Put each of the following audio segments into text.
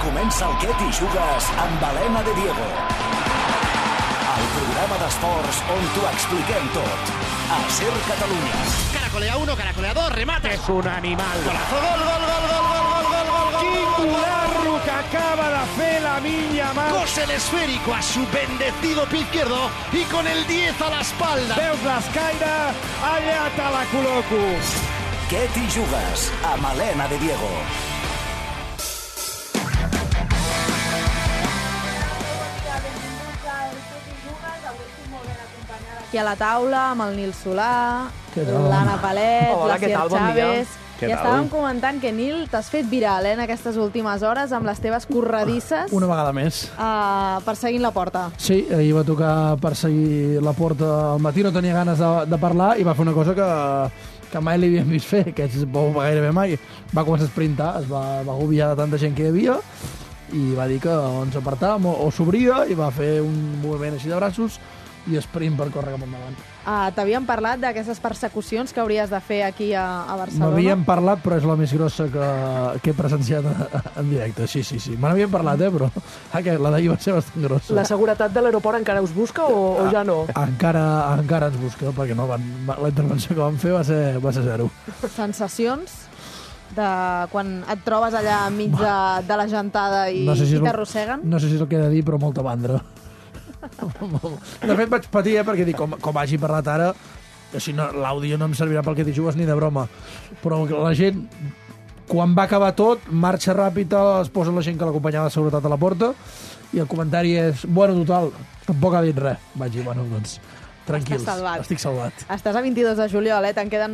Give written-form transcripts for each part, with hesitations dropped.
Comença el Què t'hi jugues amb Helena de Diego. El programa d'esports on t'ho expliquem tot. A SER Catalunya. Caracolea 1, caracolea 2, remate. És un animal. Golazo, gol, gol, gol, gol, gol, gol, gol, gol, gol. Quin golazo que acaba de fer Lamine Yamal. Cose el esférico a su bendecido pie izquierdo y con el 10 a la espalda. Veus l'escaire? Allà te la col·loco. Què t'hi jugues amb Helena de Diego. Aquí a la taula amb el Nil Solà, l'Anna Palet, Hola, l'Asier Chávez. Què I tal? estàvem comentant que, Nil, t'has fet viral en aquestes últimes hores amb les teves corredisses Una vegada més. perseguint la porta. Sí, ahir va tocar perseguir la porta al matí, no tenia ganes de parlar i va fer una cosa que mai li havíem vist fer, que és gairebé mai. Va començar a sprintar, es va agobiar de tanta gent que hi havia i va dir que o ens apartàvem o s'obria i va fer un moviment així de braços i sprint per córrer cap endavant. T'havíem parlat d'aquestes persecucions que hauries de fer aquí a Barcelona? M'havien parlat, però és la més grossa que he presenciat en directe. Sí. Me n'havien parlat, però la d'ahir va ser bastant grossa. La seguretat de l'aeroport encara us busca o ja no? Encara ens busca, perquè no la intervenció que van fer va ser zero. Sensacions de quan et trobes allà enmig de la gentada i t'arrosseguen? No sé si és el que he de dir, però molta mandra. De fet, vaig patir, perquè dic, com hagi parlat ara, així l'àudio no em servirà pel que t'hi jugues ni de broma. Però la gent, quan va acabar tot, marxa ràpida, es posa la gent que l'acompanyava de seguretat a la porta, i el comentari és, bueno, total, tampoc ha dit res. Vaig dir, bueno, doncs, tranquils, estic salvat. Estàs a 22 de juliol, te'n queden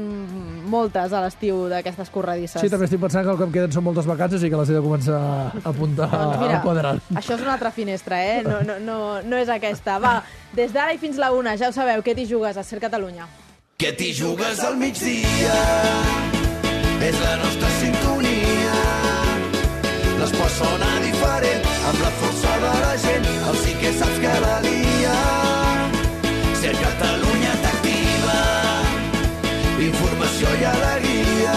moltes a l'estiu d'aquestes corredisses. Sí, també estic pensant que el que em queden són moltes vacances i que les he de començar a apuntar al quadrant. Això és una altra finestra, no és aquesta. Va, des d'ara i fins la 1, ja ho sabeu, què t'hi jugues a SER Catalunya. Què t'hi jugues al migdia? És la nostra sintonia. L'esport sona diferent, amb la força de la gent, el sí que saps que la lia. SER Catalunya t'activa, informació i alegria.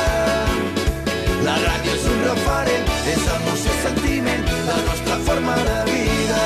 La ràdio és un referent, és emoció i sentiment, la nostra forma de vida.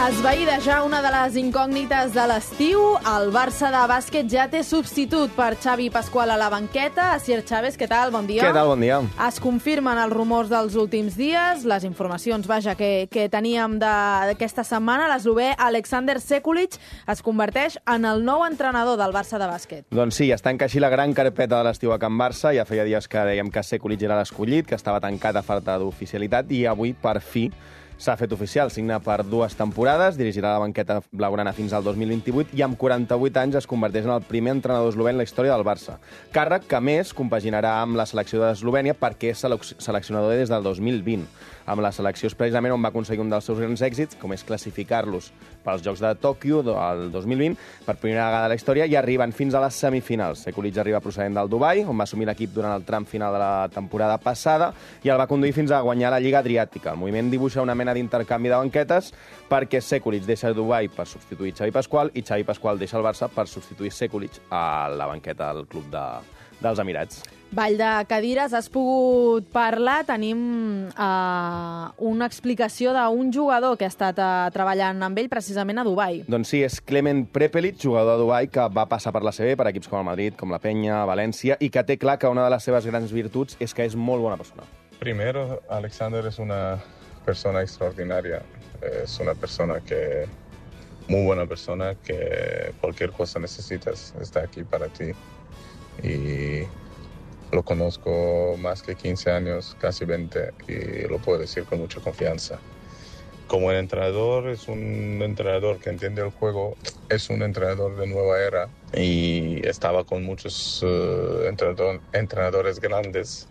Esvaïda una de les incògnites de l'estiu, el Barça de bàsquet ja té substitut per Xavi Pasqual a la banqueta. Asier Chávez, què tal? Bon dia. Què tal? Bon dia. Es confirmen els rumors dels últims dies, les informacions, que teníem d'aquesta setmana. L'eslovè Alexander Sekulic es converteix en el nou entrenador del Barça de bàsquet. Doncs sí, es tanca així la gran carpeta de l'estiu a Can Barça. Ja feia dies que dèiem que Sekulic era l'escollit, que estava tancat a falta d'oficialitat, i avui, per fi, s'ha fet oficial. Signa per 2 temporades, dirigirà la banqueta blaugrana fins al 2028 i amb 48 anys es converteix en el primer entrenador eslovè en la història del Barça. Càrrec que, més, compaginarà amb la selecció d'Eslovènia perquè és seleccionador des del 2020. Amb la selecció és precisament on va aconseguir un dels seus grans èxits, com és classificar-los pels Jocs de Tòquio del 2020 per primera vegada a la història, i arriben fins a les semifinals. Sekulic arriba procedent del Dubai, on va assumir l'equip durant el tram final de la temporada passada i el va conduir fins a guanyar la Lliga Adriàtica. El moviment dibuixa una mena d'intercanvi de banquetes perquè Sekulic deixa Dubai per substituir Xavi Pasqual i Xavi Pasqual deixa el Barça per substituir Sekulic a la banqueta del club dels Emirats. Ball de cadires, has pogut parlar, tenim una explicació d'un jugador que ha estat treballant amb ell precisament a Dubai. Doncs sí, és Clement Prepelic, jugador de Dubai, que va passar per la CB, per equips com el Madrid, com la Peña, València, i que té clar que una de les seves grans virtuts és que és molt bona persona. Primero, Alexander es una persona extraordinaria, es una persona que, muy buena persona, que cualquier cosa necesitas, está aquí para ti. Y lo conozco más que 15 años, casi 20, y lo puedo decir con mucha confianza. Como el entrenador, es un entrenador que entiende el juego, es un entrenador de nueva era y estaba con muchos entrenadores grandes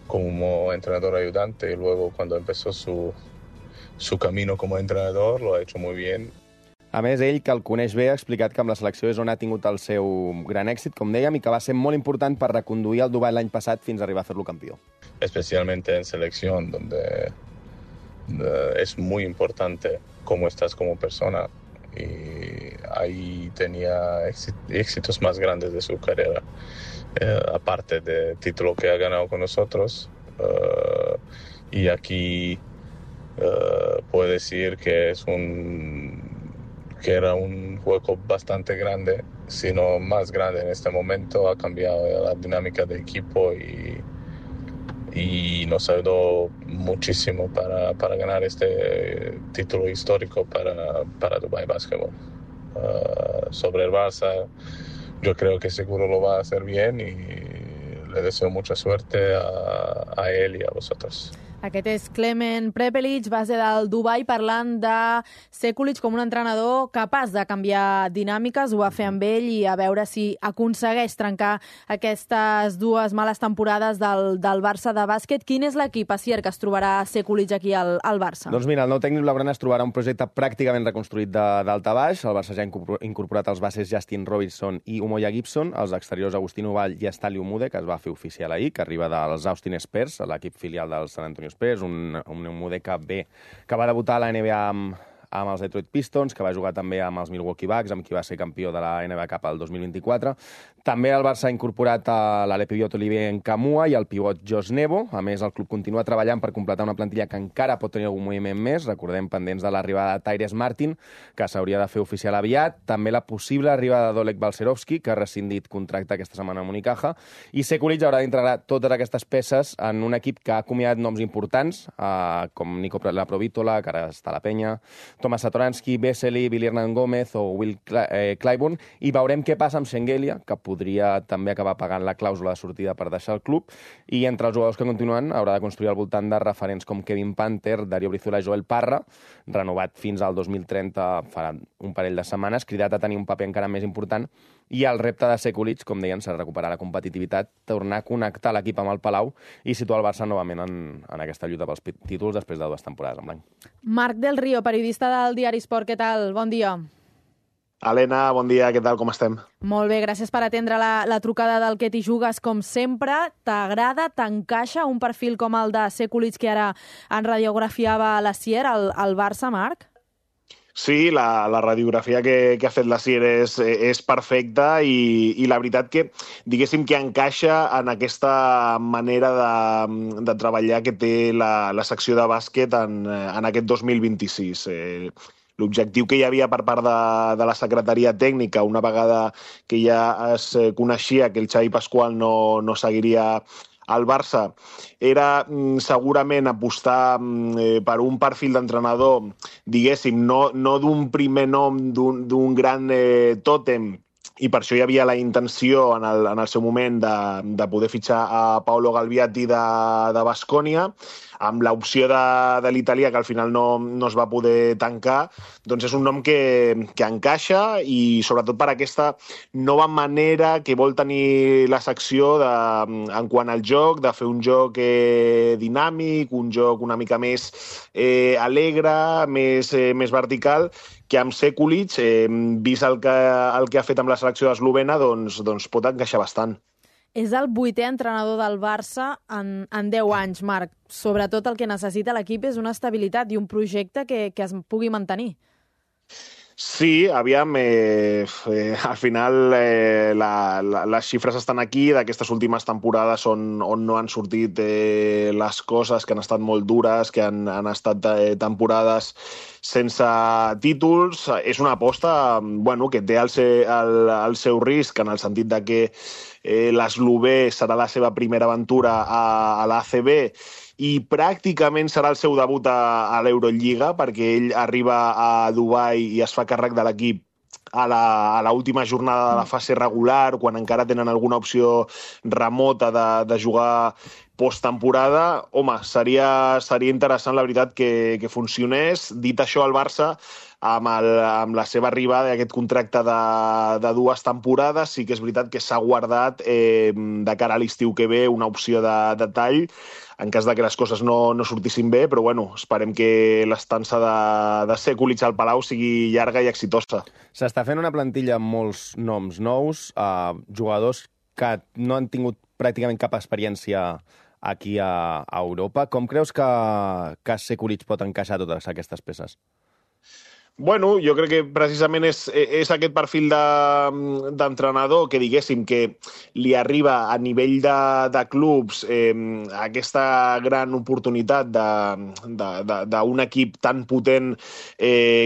como entrenador ayudante, y luego cuando empezó su camino como entrenador lo ha hecho muy bien. A més, ell, que el coneix bé, ha explicat que amb la selecció és on ha tingut el seu gran èxit, com dèiem, i que va ser molt important per reconduir el Dubai l'any passat fins a arribar a fer-lo campió. Especialmente en selección, donde es muy importante cómo estás como persona, y ahí tenía éxitos más grandes de su carrera. aparte del título que ha ganado con nosotros. Y aquí puedo decir que era un juego bastante grande, sino más grande en este momento. Ha cambiado la dinámica del equipo y nos ayudó muchísimo para ganar este título histórico para Dubai Basketball. Sobre el Barça, yo creo que seguro lo va a hacer bien y le deseo mucha suerte a él y a vosotros. Aquest és Klemen Prepelic, base del Dubai, parlant de Sekulic com un entrenador capaç de canviar dinàmiques. Ho va fer amb ell i a veure si aconsegueix trencar aquestes dues males temporades del Barça de bàsquet. Quin és l'equip, Asier, que es trobarà Sekulic aquí al Barça? Doncs mira, el nou tècnic blaugrana es trobarà un projecte pràcticament reconstruït de dalt a baix. El Barça ja ha incorporat els bases Justin Robinson i Umoja Gibson, els exteriors Agustín Uball i Estali Umude, que es va fer oficial ahir, que arriba dels Austin Spurs, l'equip filial del San Antonio Spurs, un Umude que va debutar a la NBA amb els Detroit Pistons, que va jugar també amb els Milwaukee Bucks, amb qui va ser campió de la NBA Cup el 2024. També el Barça ha incorporat l'Alepiot Olivier Nkamua i el pivot Josh Nebo. A més, el club continua treballant per completar una plantilla que encara pot tenir algun moviment més. Recordem, pendents de l'arribada de Tyrese Martin, que s'hauria de fer oficial aviat. També la possible arribada d'Oleg Balcerovski, que ha rescindit contracte aquesta setmana amb Unicaja. I Sekulic haurà d'integrar totes aquestes peces en un equip que ha acomiadat noms importants, com Nico Laprovítola, que ara està a la penya, Tomas Satoransky, Vesely, Billy Hernán Gómez o Will Clyburn, i veurem què passa amb Shengelia, que podria també acabar pagant la clàusula de sortida per deixar el club, i entre els jugadors que continuen haurà de construir al voltant de referents com Kevin Panther, Dario Brizuela i Joel Parra, renovat fins al 2030 farà un parell de setmanes, cridat a tenir un paper encara més important, i el repte de Sekulic, com deien, serà recuperar la competitivitat, tornar a connectar l'equip amb el Palau i situar el Barça novament en aquesta lluita pels títols després de 2 temporades en blanc. Marc Del Río, periodista del Diari Esport, què tal? Bon dia. Helena, bon dia, què tal, com estem? Molt bé, gràcies per atendre la trucada del Que t'hi jugues, com sempre. T'agrada, t'encaixa un perfil com el de Sekulic que ara en radiografiava l'Asier, al Barça, Marc? Sí, la radiografia que ha fet l'Asier és perfecta i la veritat que, diguéssim, que encaixa en aquesta manera de treballar que té la secció de bàsquet en aquest 2026. L'objectiu que hi havia per part de la secretaria tècnica, una vegada que ja es coneixia que el Xavi Pasqual no seguiria al Barça, era segurament apostar per un perfil d'entrenador, diguéssim, no d'un primer nom, d'un gran tòtem, i per això hi havia la intenció en el seu moment de poder fitxar a Paolo Galviati de Baskonia, amb l'opció de l'italià, que al final no es va poder tancar. Doncs és un nom que encaixa, i sobretot per aquesta nova manera que vol tenir la secció en quant al joc, de fer un joc dinàmic, un joc una mica més alegre, més vertical, que amb Sekulic, vist el que ha fet amb la selecció eslovena, doncs pot encaixar bastant. És el 8è entrenador del Barça en 10 anys, Marc. Sobretot el que necessita l'equip és una estabilitat i un projecte que es pugui mantenir. Sí, aviam, al final les xifres estan aquí, d'aquestes últimes temporades on no han sortit les coses, que han estat molt dures, que han estat temporades sense títols. És una aposta que té el seu risc, en el sentit de que l'eslovè serà la seva primera aventura a l'ACB i pràcticament serà el seu debut a l'Eurolliga, perquè ell arriba a Dubai i es fa càrrec de l'equip a l'última jornada de la fase regular, quan encara tenen alguna opció remota de jugar posttemporada. Home, seria interessant, la veritat, que funcionés. Dit això, el Barça, amb la seva arribada i aquest contracte de 2 temporades, sí que és veritat que s'ha guardat de cara a l'estiu que ve una opció de tall, en cas de que les coses no sortissin bé, però esperem que l'estança de Sekulic al Palau sigui llarga i exitosa. S'està fent una plantilla amb molts noms nous, jugadors que no han tingut pràcticament cap experiència aquí a Europa. Com creus que Sekulic pot encaixar totes aquestes peces? Bueno, jo crec que precisament és aquest perfil d'entrenador que, diguéssim, que li arriba a nivell de clubs aquesta gran oportunitat d'un equip tan potent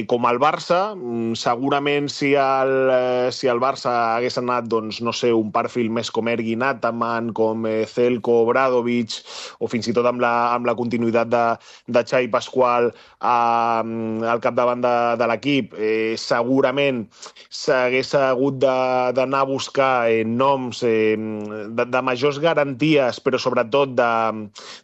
com el Barça. Segurament si el Barça hagués anat, doncs, no sé, un perfil més com Ergin Ataman, com Zelko, Obradovic, o fins i tot amb la continuïtat de Xavi Pasqual al capdavant de l'equip, segurament s'hagués hagut d'anar a buscar noms de majors garanties, però sobretot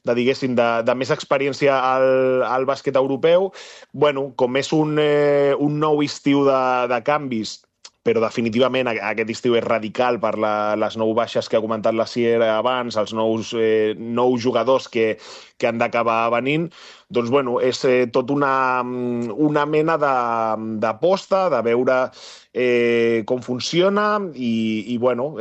diguéssim, de més experiència al bàsquet europeu. Bueno, com és un nou estiu de canvis, però definitivament aquest estiu és radical per les 9 baixes que ha comentat la Sier abans, els nous jugadors que han d'acabar venint, doncs bueno, és tot una mena d'aposta, de veure com funciona i bueno,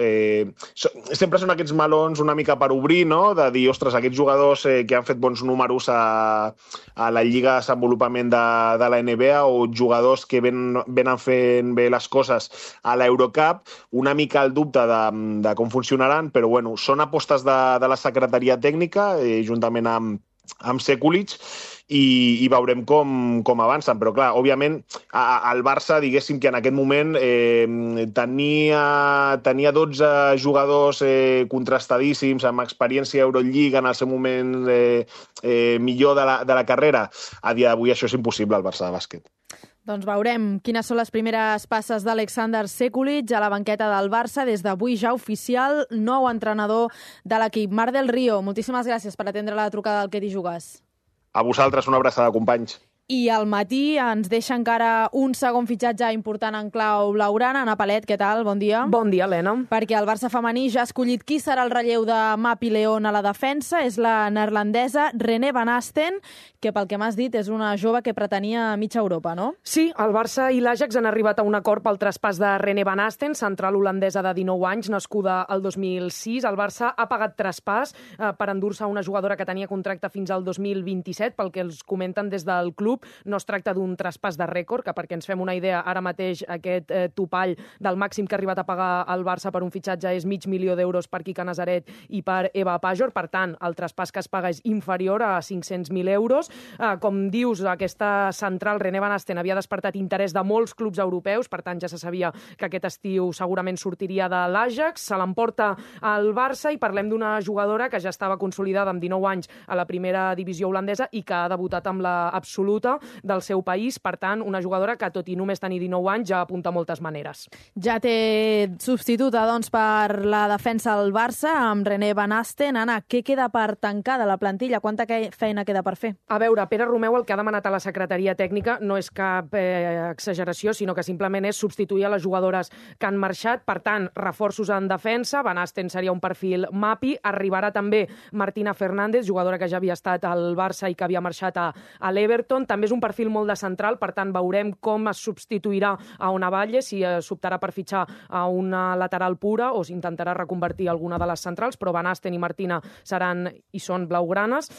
sempre són aquests melons una mica per obrir, no? De dir, ostres, aquests jugadors que han fet bons números a la Lliga de Desenvolupament de la NBA o jugadors que venen fent bé les coses a l'Eurocup, una mica el dubte de com funcionaran, però bueno, són apostes de la secretaria tècnica, juntament amb Sekulic, i veurem com avancen. Però, clar, òbviament, el Barça, diguéssim que en aquest moment tenia 12 jugadors contrastadíssims, amb experiència a Eurolliga en el seu moment millor de la carrera. A dia d'avui això és impossible al Barça de bàsquet. Doncs veurem quines són les primeres passes d'Alexander Sekulic a la banqueta del Barça. Des d'avui ja oficial, nou entrenador de l'equip. Marc del Río, moltíssimes gràcies per atendre la trucada del Que t'hi jugues. A vosaltres, una abraçada, companys. I al matí ens deixa encara un segon fitxatge important en clau blaugrana. Ana Palet, què tal? Bon dia. Bon dia, Helena. Perquè el Barça femení ja ha escollit qui serà el relleu de Mapi León a la defensa. És la neerlandesa René Van Asten, que pel que m'has dit és una jove que pretenia mitja Europa, no? Sí, el Barça i l'Ajax han arribat a un acord pel traspàs de René Van Asten, central holandesa de 19 anys, nascuda el 2006. El Barça ha pagat traspàs per endur-se una jugadora que tenia contracte fins al 2027, pel que els comenten des del club. No es tracta d'un traspàs de rècord, que perquè ens fem una idea, ara mateix aquest topall del màxim que ha arribat a pagar el Barça per un fitxatge és $500,000 per Quique Nazaret i per Eva Pajor. Per tant, el traspàs que es paga és inferior a €500,000. Com dius, aquesta central, René Van Asten, havia despertat interès de molts clubs europeus, per tant ja se sabia que aquest estiu segurament sortiria de l'Ajax. Se l'emporta al Barça i parlem d'una jugadora que ja estava consolidada amb 19 anys a la primera divisió holandesa i que ha debutat amb la absoluta del seu país. Per tant, una jugadora que, tot i només tenir 19 anys, ja apunta moltes maneres. Ja té substituta, doncs, per la defensa al Barça, amb René Van Asten. Anna, què queda per tancar de la plantilla? Quanta feina queda per fer? A veure, Pere Romeu el que ha demanat a la secretaria tècnica no és cap exageració, sinó que simplement és substituir a les jugadores que han marxat. Per tant, reforços en defensa. Van Asten seria un perfil Mapi. Arribarà també Martina Fernández, jugadora que ja havia estat al Barça i que havia marxat a l'Everton. També és un perfil molt de central, per tant veurem com es substituirà a Ona Valle, si s'optarà per fitxar a una lateral pura o s'intentarà reconvertir alguna de les centrals, però Van Asten i Martina seran i són blaugranes.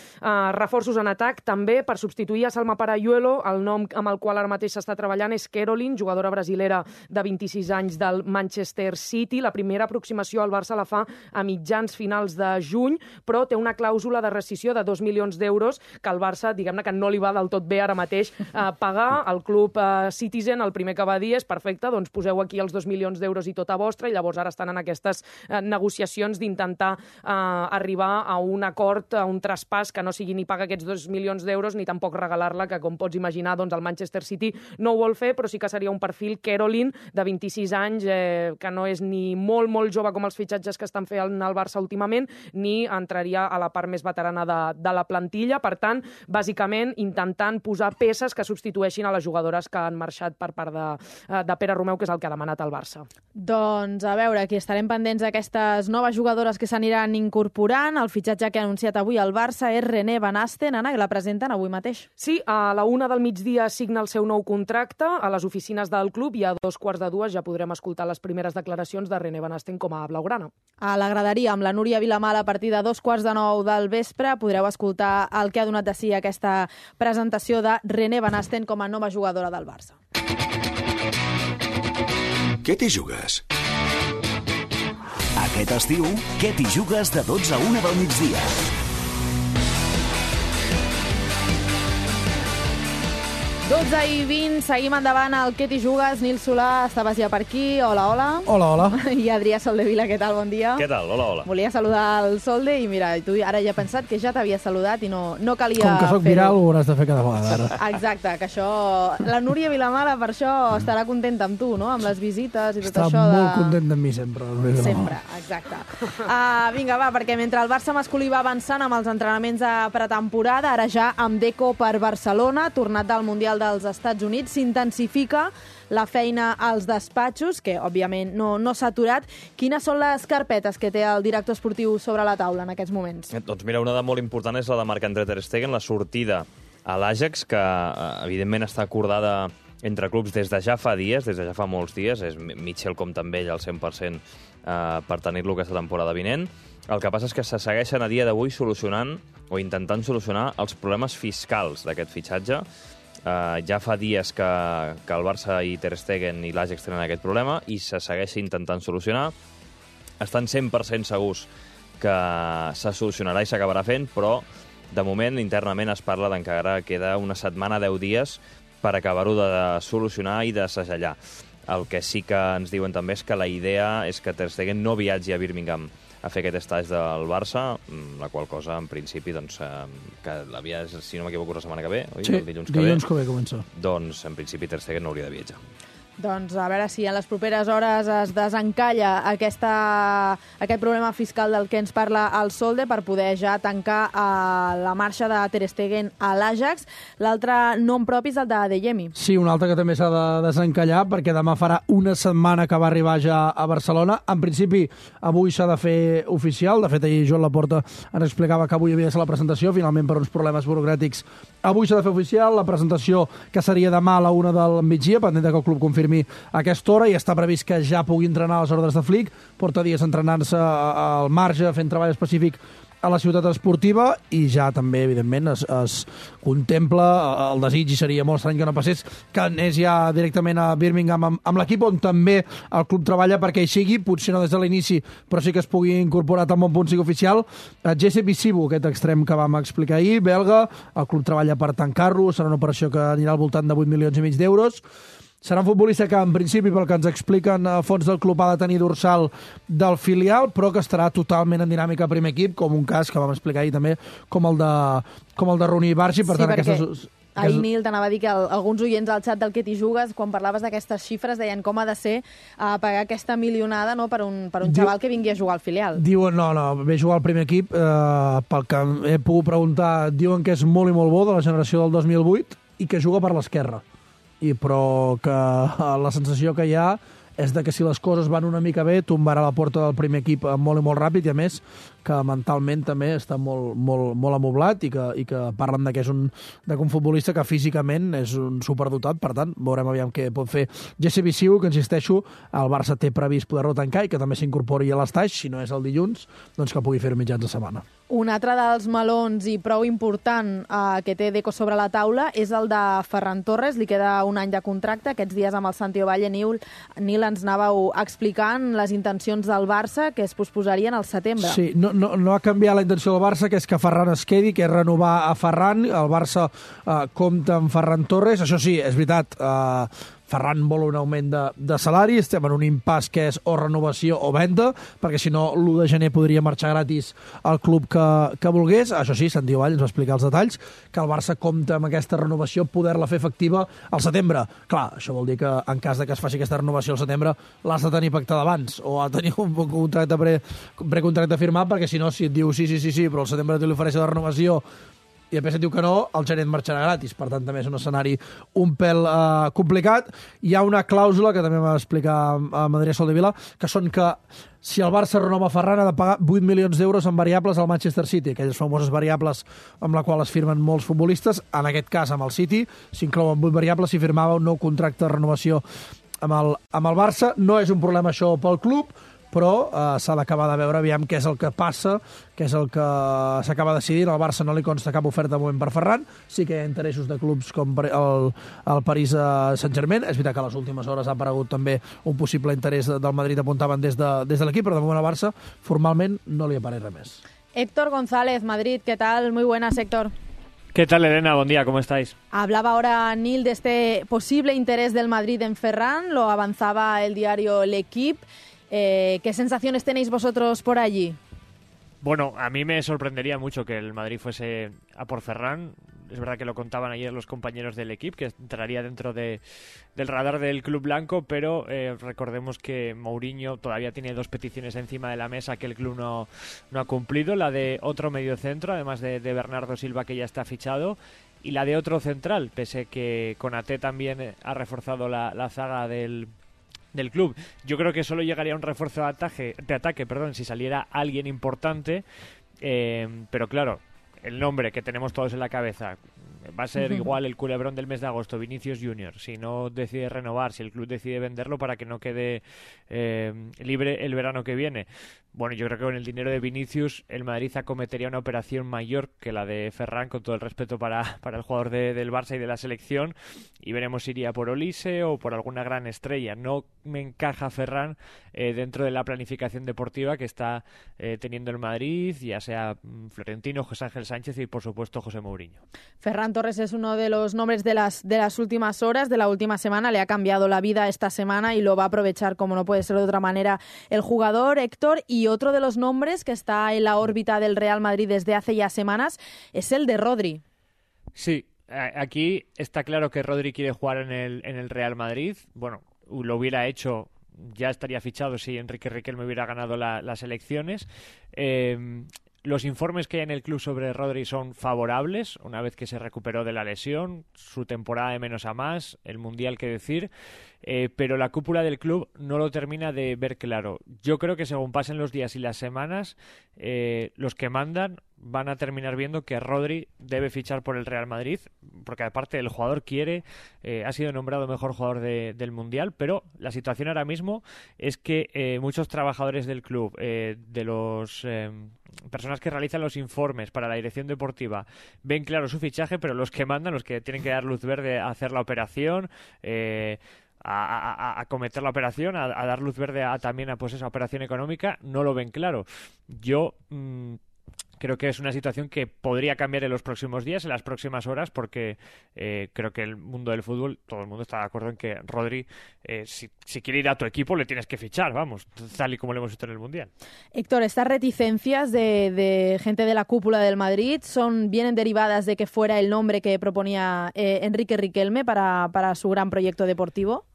Reforços en atac també per substituir a Salma Parayuelo. El nom amb el qual ara mateix s'està treballant és Caroline, jugadora brasilera de 26 anys del Manchester City. La primera aproximació al Barça la fa a mitjans finals de juny, però té una clàusula de rescissió de €2 milions que el Barça, diguem-ne que no li va del tot bé ara mateix pagar. El club Citizen el primer que va dir és perfecte, doncs poseu aquí els €2 milions i tota vostra, i llavors ara estan en aquestes negociacions d'intentar arribar a un acord, a un traspàs que no sigui ni pagar aquests €2 milions ni tampoc regalar-la, que com pots imaginar doncs el Manchester City no ho vol fer, però sí que seria un perfil Caroline de 26 anys, que no és ni molt jove com els fitxatges que estan fent al Barça últimament, ni entraria a la part més veterana de la plantilla. Per tant, bàsicament intentant posar peces que substitueixin a les jugadores que han marxat per part de Pere Romeu, que és el que ha demanat el Barça. Doncs a veure, aquí estarem pendents d'aquestes noves jugadores que s'aniran incorporant. El fitxatge que ha anunciat avui el Barça és René Van Asten. Anna, que la presenten avui mateix. Sí, a la 1 del migdia signa el seu nou contracte a les oficines del club i a 2:15 ja podrem escoltar les primeres declaracions de René Van Asten com a blaugrana. A la graderia, amb la Núria Vilamal, a partir de 2:15 del vespre, podreu escoltar el que ha donat de si aquesta presentació de René Van Asten com a nova jugadora del Barça. Què t'hi jugues? Aquest estiu, què t'hi jugues de 12 a 1 del migdia? i 20, seguim endavant al Què t'hi jugues. Nil Solà, estaves ja per aquí. Hola, hola. Hola, hola. I Adrià Soldevila, què tal? Bon dia. Què tal? Hola, hola. Volia saludar el Solde i mira, tu ara ja he pensat que ja t'havia saludat i no calia fer-ho. Com que soc viral, ho hauràs de fer cada vegada. Exacte, que això... La Núria Vilamala per això estarà contenta amb tu, no? Amb les visites i tot Està això de... Està molt content amb mi sempre. Sempre, exacte. Vinga, va, perquè mentre el Barça masculí va avançant amb els entrenaments de pretemporada, ara ja amb Deco per Barcelona, tornat del Mundial dels Estats Units, s'intensifica la feina als despatxos, que òbviament no s'ha aturat. Quines són les carpetes que té el director esportiu sobre la taula en aquests moments? Doncs mira, una de molt important és la de Marc-André ter Stegen, la sortida a l'Ajax, que evidentment està acordada entre clubs des de ja fa dies, des de ja fa molts dies. És Mitchell compta amb ell al 100% per tenir-lo aquesta temporada vinent. El que passa és que se segueixen a dia d'avui solucionant o intentant solucionar els problemes fiscals d'aquest fitxatge. Ja fa dies que el Barça i Ter Stegen i l'Ajax tenen aquest problema i se segueix intentant solucionar. Estan 100% segurs que se solucionarà i s'acabarà fent, però de moment internament es parla d'encara queda una setmana, 10 dies, per acabar-ho de solucionar i de segellar. El que sí que ens diuen també és que la idea és que Ter Stegen no viatgi a Birmingham a fer aquest estatge del Barça, la qual cosa, en principi, doncs, que l'havia, si no m'equivoco, la setmana que ve, oi? Sí, el dilluns que ve comença. Doncs, en principi, Ter Stegen no hauria de viatjar. Doncs a veure si en les properes hores es desencalla aquest problema fiscal del que ens parla el Solde per poder ja tancar la marxa de Ter Stegen a l'Ajax. L'altre nom propi és el de Adeyemi. Sí, un altre que també s'ha de desencallar perquè demà farà una setmana que va arribar ja a Barcelona. En principi, avui s'ha de fer oficial. De fet, ahir Joan Laporta ens explicava que avui havia de ser la presentació. Finalment, per uns problemes burocràtics, avui s'ha de fer oficial. La presentació que seria demà a la 1 del migdia, pendent que el club confirmi a aquesta hora, i està previst que ja pugui entrenar a les ordres de Flick. Porta dies entrenant-se al marge, fent treball específic a la ciutat esportiva, i ja també, evidentment, es contempla el desig, i seria molt estrany que no passés, que anés ja directament a Birmingham amb l'equip, on també el club treballa perquè hi sigui, potser no des de l'inici, però sí que es pugui incorporar tan bon punt sigui oficial. Jesse Bisibu, aquest extrem que vam explicar ahir, belga, el club treballa per tancar-lo, serà una operació que anirà al voltant de 8,5 milions d'euros. Serà un futbolista que, en principi, pel que ens expliquen a fons del club, ha de tenir dorsal del filial, però que estarà totalment en dinàmica a primer equip, com un cas que vam explicar ahir també, com el de Rooney Barsi. Per tant, aquestes... Ahir, Nil, t'anava a dir que alguns oients al xat del Què t'hi jugues, quan parlaves d'aquestes xifres, deien com ha de ser pagar aquesta milionada, no, per un xaval que vingui a jugar al filial. Diuen, no, ve a jugar al primer equip, pel que he pogut preguntar, diuen que és molt i molt bo, de la generació del 2008, i que juga per l'esquerra. Però que la sensació que hi ha és de que si les coses van una mica bé, tombarà la porta del primer equip molt i molt ràpid, i a més que mentalment també està molt amoblat, i que parlen de que és un futbolista que físicament és un superdotat. Per tant, veurem aviam què pot fer Jesse Bisiu, que, insisteixo, el Barça té previst poder-lo tancar i que també s'incorpori a l'estaix, si no és el dilluns, doncs que pugui fer-ho mitjans de setmana. Un altre dels melons i prou important que té Deco sobre la taula és el de Ferran Torres. Li queda un any de contracte. Aquests dies amb el Santi Ovalle, Nil, ens anàveu explicant les intencions del Barça, que es posposarien al setembre. Sí, no ha canviat la intenció del Barça, que és que Ferran es quedi, que és renovar a Ferran. El Barça compta amb Ferran Torres. Això sí, és veritat, Ferran vol un augment de salari, estem en un impàs que és o renovació o venda, perquè si no l'1 de gener podria marxar gratis al club que volgués. Això sí, Santi Ovalle ens va explicar els detalls, que el Barça compta amb aquesta renovació, poder-la fer efectiva al setembre. Clar, això vol dir que en cas de que es faci aquesta renovació al setembre l'has de tenir pactada abans, o ha de tenir un contracte precontracte firmat, perquè si no, si et diu sí, però al setembre te li ofereix la renovació i després et diu que no, el gener et marxarà gratis. Per tant, també és un escenari un pèl complicat. Hi ha una clàusula que també va explicar a Adrià Soldevila, que són que si el Barça renova Ferran ha de pagar 8 milions d'euros en variables al Manchester City, aquelles famoses variables amb la qual es firmen molts futbolistes. En aquest cas, amb el City, s'inclouen 8 variables si firmava un nou contracte de renovació amb el Barça. No és un problema això pel club, però s'ha d'acabar de veure aviam què és el que passa, què és el que s'acaba decidint. Al Barça no li consta cap oferta de moment per Ferran, sí que hi ha interessos de clubs com el París Saint-Germain. És veritat que a les últimes hores ha aparegut també un possible interès del Madrid, apuntaven des de l'equip, però de moment al Barça formalment no li apareix res més. Héctor González, Madrid, ¿qué tal? Muy buenas, Héctor. ¿Qué tal, Elena? Buen día, ¿cómo estáis? Hablaba ahora Nil de este posible interés del Madrid en Ferran, lo avanzaba el diario L'Equipe. ¿Qué sensaciones tenéis vosotros por allí? Bueno, a mí me sorprendería mucho que el Madrid fuese a por Ferran. Es verdad que lo contaban ayer los compañeros del equipo, que entraría dentro del radar del club blanco, pero recordemos que Mourinho todavía tiene 2 peticiones encima de la mesa que el club no ha cumplido. La de otro mediocentro, además de Bernardo Silva, que ya está fichado, y la de otro central, pese que Konaté también ha reforzado la zaga del club. Yo creo que solo llegaría un refuerzo de ataque, si saliera alguien importante, pero claro, el nombre que tenemos todos en la cabeza va a ser igual el culebrón del mes de agosto, Vinicius Junior. Si no decide renovar, si el club decide venderlo para que no quede libre el verano que viene. Bueno, yo creo que con el dinero de Vinicius el Madrid acometería una operación mayor que la de Ferran, con todo el respeto para el jugador del Barça y de la selección, y veremos si iría por Olise o por alguna gran estrella. No me encaja Ferran dentro de la planificación deportiva que está teniendo el Madrid, ya sea Florentino, José Ángel Sánchez y por supuesto José Mourinho. Ferran Torres es uno de los nombres de las últimas horas, de la última semana. Le ha cambiado la vida esta semana y lo va a aprovechar, como no puede ser de otra manera, el jugador, Héctor. Y otro de los nombres que está en la órbita del Real Madrid desde hace ya semanas es el de Rodri. Sí, aquí está claro que Rodri quiere jugar en el Real Madrid. Bueno, lo hubiera hecho, ya estaría fichado si Enrique Riquelme hubiera ganado las elecciones. Los informes que hay en el club sobre Rodri son favorables, una vez que se recuperó de la lesión, su temporada de menos a más, el Mundial que decir, pero la cúpula del club no lo termina de ver claro. Yo creo que según pasen los días y las semanas, los que mandan van a terminar viendo que Rodri debe fichar por el Real Madrid, porque aparte el jugador quiere, ha sido nombrado mejor jugador del Mundial, pero la situación ahora mismo es que muchos trabajadores del club, de los personas que realizan los informes para la dirección deportiva, ven claro su fichaje, pero los que mandan, los que tienen que dar luz verde a hacer la operación, a cometer la operación, a dar luz verde también a pues esa operación económica, no lo ven claro. Yo creo que es una situación que podría cambiar en los próximos días, en las próximas horas, porque creo que el mundo del fútbol, todo el mundo está de acuerdo en que Rodri, si quiere ir a tu equipo, le tienes que fichar, vamos, tal y como lo hemos visto en el Mundial. Héctor, estas reticencias de gente de la cúpula del Madrid vienen derivadas de que fuera el nombre que proponía Enrique Riquelme para su gran proyecto deportivo.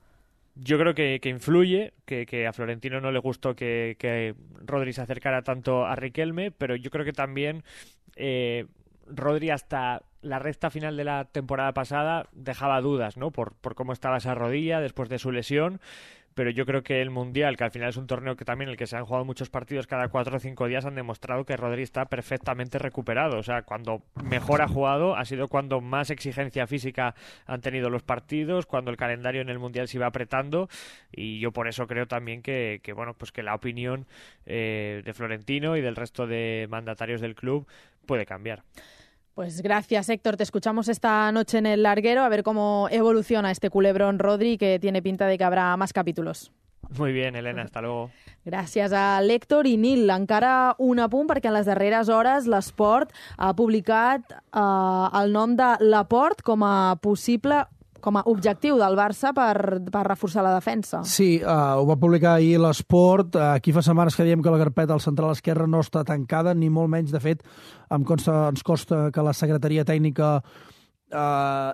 Yo creo que influye, que a Florentino no le gustó que Rodri se acercara tanto a Riquelme, pero yo creo que también Rodri hasta la recta final de la temporada pasada dejaba dudas, ¿no? Por cómo estaba esa rodilla después de su lesión. Pero yo creo que el Mundial, que al final es un torneo que también en el que se han jugado muchos partidos cada 4 o 5 días, han demostrado que Rodri está perfectamente recuperado. O sea, cuando mejor ha jugado ha sido cuando más exigencia física han tenido los partidos, cuando el calendario en el Mundial se iba apretando, y yo por eso creo también que bueno, pues que la opinión de Florentino y del resto de mandatarios del club puede cambiar. Pues gracias, Héctor. Te escuchamos esta noche en el larguero a ver cómo evoluciona este culebrón Rodri, que tiene pinta de que habrá más capítulos. Muy bien, Elena, hasta luego. Gràcies a l'Héctor i Nil. Encara un apunt, perquè en les darreres hores l'Esport ha publicat el nom de Laporte com a objectiu del Barça per reforçar la defensa. Sí, ho va publicar ahir l'Esport. Aquí fa setmanes que diem que la carpeta al central esquerre no està tancada, ni molt menys. De fet, ens costa que la secretaria tècnica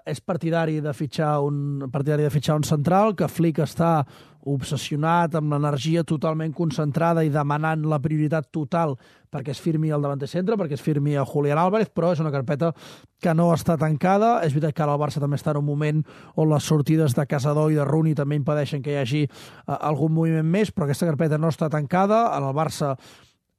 és partidari de fitxar un central, que Flick està obsessionat amb l'energia totalment concentrada i demanant la prioritat total perquè es firmi el davanter centre, perquè es firmi el Julián Álvarez, però és una carpeta que no està tancada. És veritat que ara el Barça també està en un moment on les sortides de Casador i de Rooney també impedeixen que hi hagi algun moviment més, però aquesta carpeta no està tancada. En el Barça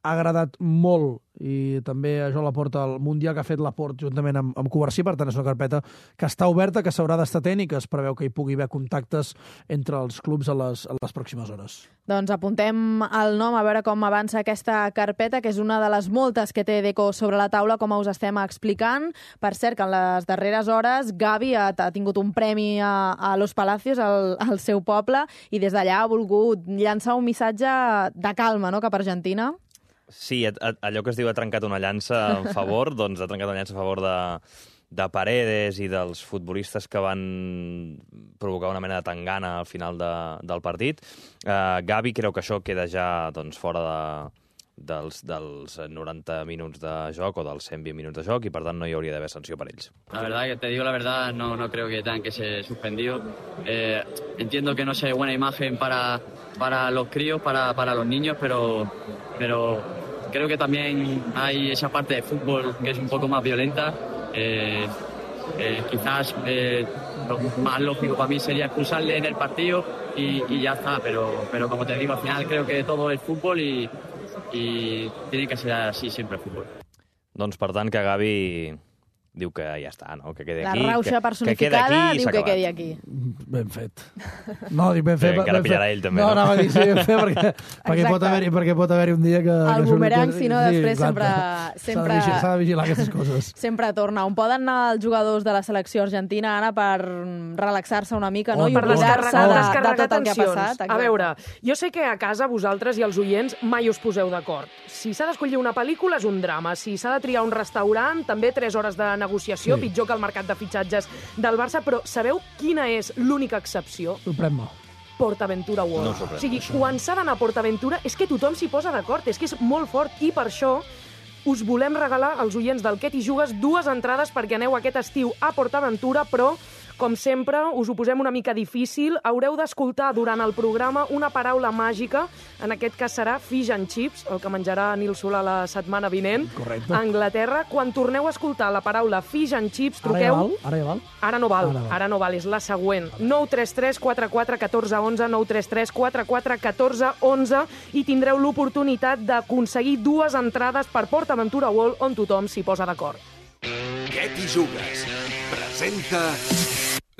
agradat molt, i també això la porta al Mundial que ha fet l'Aport juntament amb Covarsí, per tant és una carpeta que està oberta, que s'haurà d'estar atent i que es preveu que hi pugui haver contactes entre els clubs a les pròximes hores. Doncs apuntem el nom a veure com avança aquesta carpeta, que és una de les moltes que té Deco sobre la taula, com us estem explicant. Per cert, que en les darreres hores Gavi ha tingut un premi a Los Palacios, al seu poble, i des d'allà ha volgut llançar un missatge de calma, no?, cap a Argentina. Sí, allò que es diu ha trencat una llança en favor, doncs ha trencat una llança a favor de Paredes i dels futbolistes que van provocar una mena de tangana al final del partit. Gavi creu que això queda ja doncs, fora dels 90 minuts de joc o dels 120 minuts de joc i, per tant, no hi hauria d'haver sanció per ells. La verdad, que te digo la verdad, no creo que tengan que ser suspendidos. Entiendo que no sea buena imagen para los críos, para los niños, pero creo que también hay esa parte de fútbol que es un poco más violenta. Quizás lo más lógico para mí sería expulsarle en el partido y ya está, pero como te digo, al final creo que todo es fútbol y tiene que ser así siempre el fútbol. Doncs, per tant, que Gavi diu que ja està, no? Que quedi aquí. La rauxa personificada diu que quedi aquí. Ben fet. No, dic ben fet. Encara pillarà ell, també, no? No, anava a dir sí, ben fet, perquè pot haver-hi un dia que... El bumerang, si no, després sempre... S'ha de vigilar aquestes coses. Sempre torna. On poden anar els jugadors de la selecció argentina, Anna, per relaxar-se una mica, no? I per oblidar-se descarregar de tot el que ha passat. Exacte. A veure, jo sé que a casa vosaltres i els oients mai us poseu d'acord. Si s'ha d'escollir una pel·lícula és un drama. Si s'ha de triar un restaurant, també 3 hores de negociació, sí. Pitjor que el mercat de fitxatges del Barça, però sabeu quina és l'única excepció? Sorprèn-me. PortAventura World. No sorprèn. O sigui, quan s'ha d'anar a PortAventura és que tothom s'hi posa d'acord, és que és molt fort, i per això us volem regalar als oients del Què t'hi jugues 2 entrades perquè aneu aquest estiu a PortAventura, però com sempre, us ho posem una mica difícil. Haureu d'escoltar durant el programa una paraula màgica. En aquest cas serà fish and chips, el que menjarà Nil Solà la setmana vinent. Correcte. A Anglaterra. Quan torneu a escoltar la paraula fish and chips, truqueu... Ara ja val? Ara no val. Ara no val, és la següent. 933 44 14 11, 933 44 14 11, i tindreu l'oportunitat d'aconseguir 2 entrades per PortAventura World, on tothom s'hi posa d'acord. Què t'hi jugues? Presenta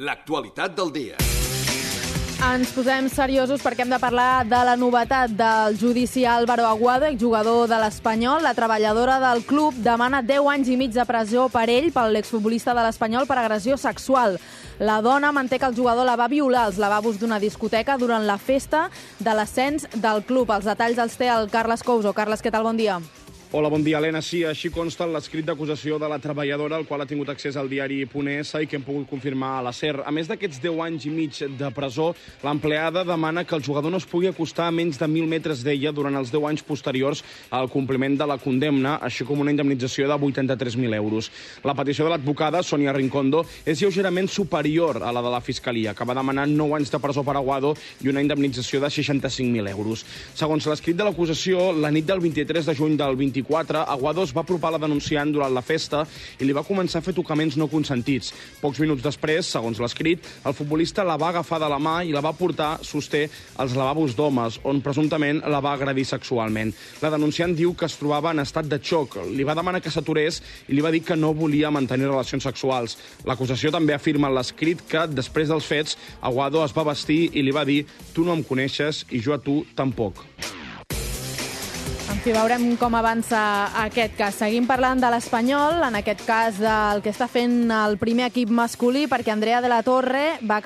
l'actualitat del dia. Ens posem seriosos perquè hem de parlar de la novetat del judici a Álvaro Aguado, exjugador de l'Espanyol. La treballadora del club demana 10 anys i mig de presó per ell, per l'exfutbolista de l'Espanyol, per agressió sexual. La dona manté que el jugador la va violar als lavabos d'una discoteca durant la festa de l'ascens del club. Els detalls els té el Carles Couso. Carles, què tal? Bon dia. Hola, bon dia, Helena. Sí, així consta l'escrit d'acusació de la treballadora, al qual ha tingut accés al diari Ponesa i que hem pogut confirmar a la SER. A més d'aquests 10 anys i mig de presó, l'empleada demana que el jugador no es pugui acostar a menys de 1.000 metres d'ella durant els 10 anys posteriors al compliment de la condemna, així com una indemnització de 83.000 euros. La petició de l'advocada, Sonia Rincondo, és lleugerament superior a la de la Fiscalia, que va demanar 9 anys de presó per Aguado i una indemnització de 65.000 euros. Segons l'escrit de l'acusació, la nit del 23 de juny del 24, Aguado es va apropar a la denunciant durant la festa i li va començar a fer tocaments no consentits. Pocs minuts després, segons l'escrit, el futbolista la va agafar de la mà i la va portar, sosté, als lavabos d'homes, on presumptament la va agredir sexualment. La denunciant diu que es trobava en estat de xoc. Li va demanar que s'aturés i li va dir que no volia mantenir relacions sexuals. L'acusació també afirma en l'escrit que, després dels fets, Aguado es va vestir i li va dir «Tu no em coneixes i jo a tu tampoc». En fi, veurem com avança aquest cas. Seguim parlant de l'Espanyol, en aquest cas del que està fent el primer equip masculí, perquè Andrea de la Torre va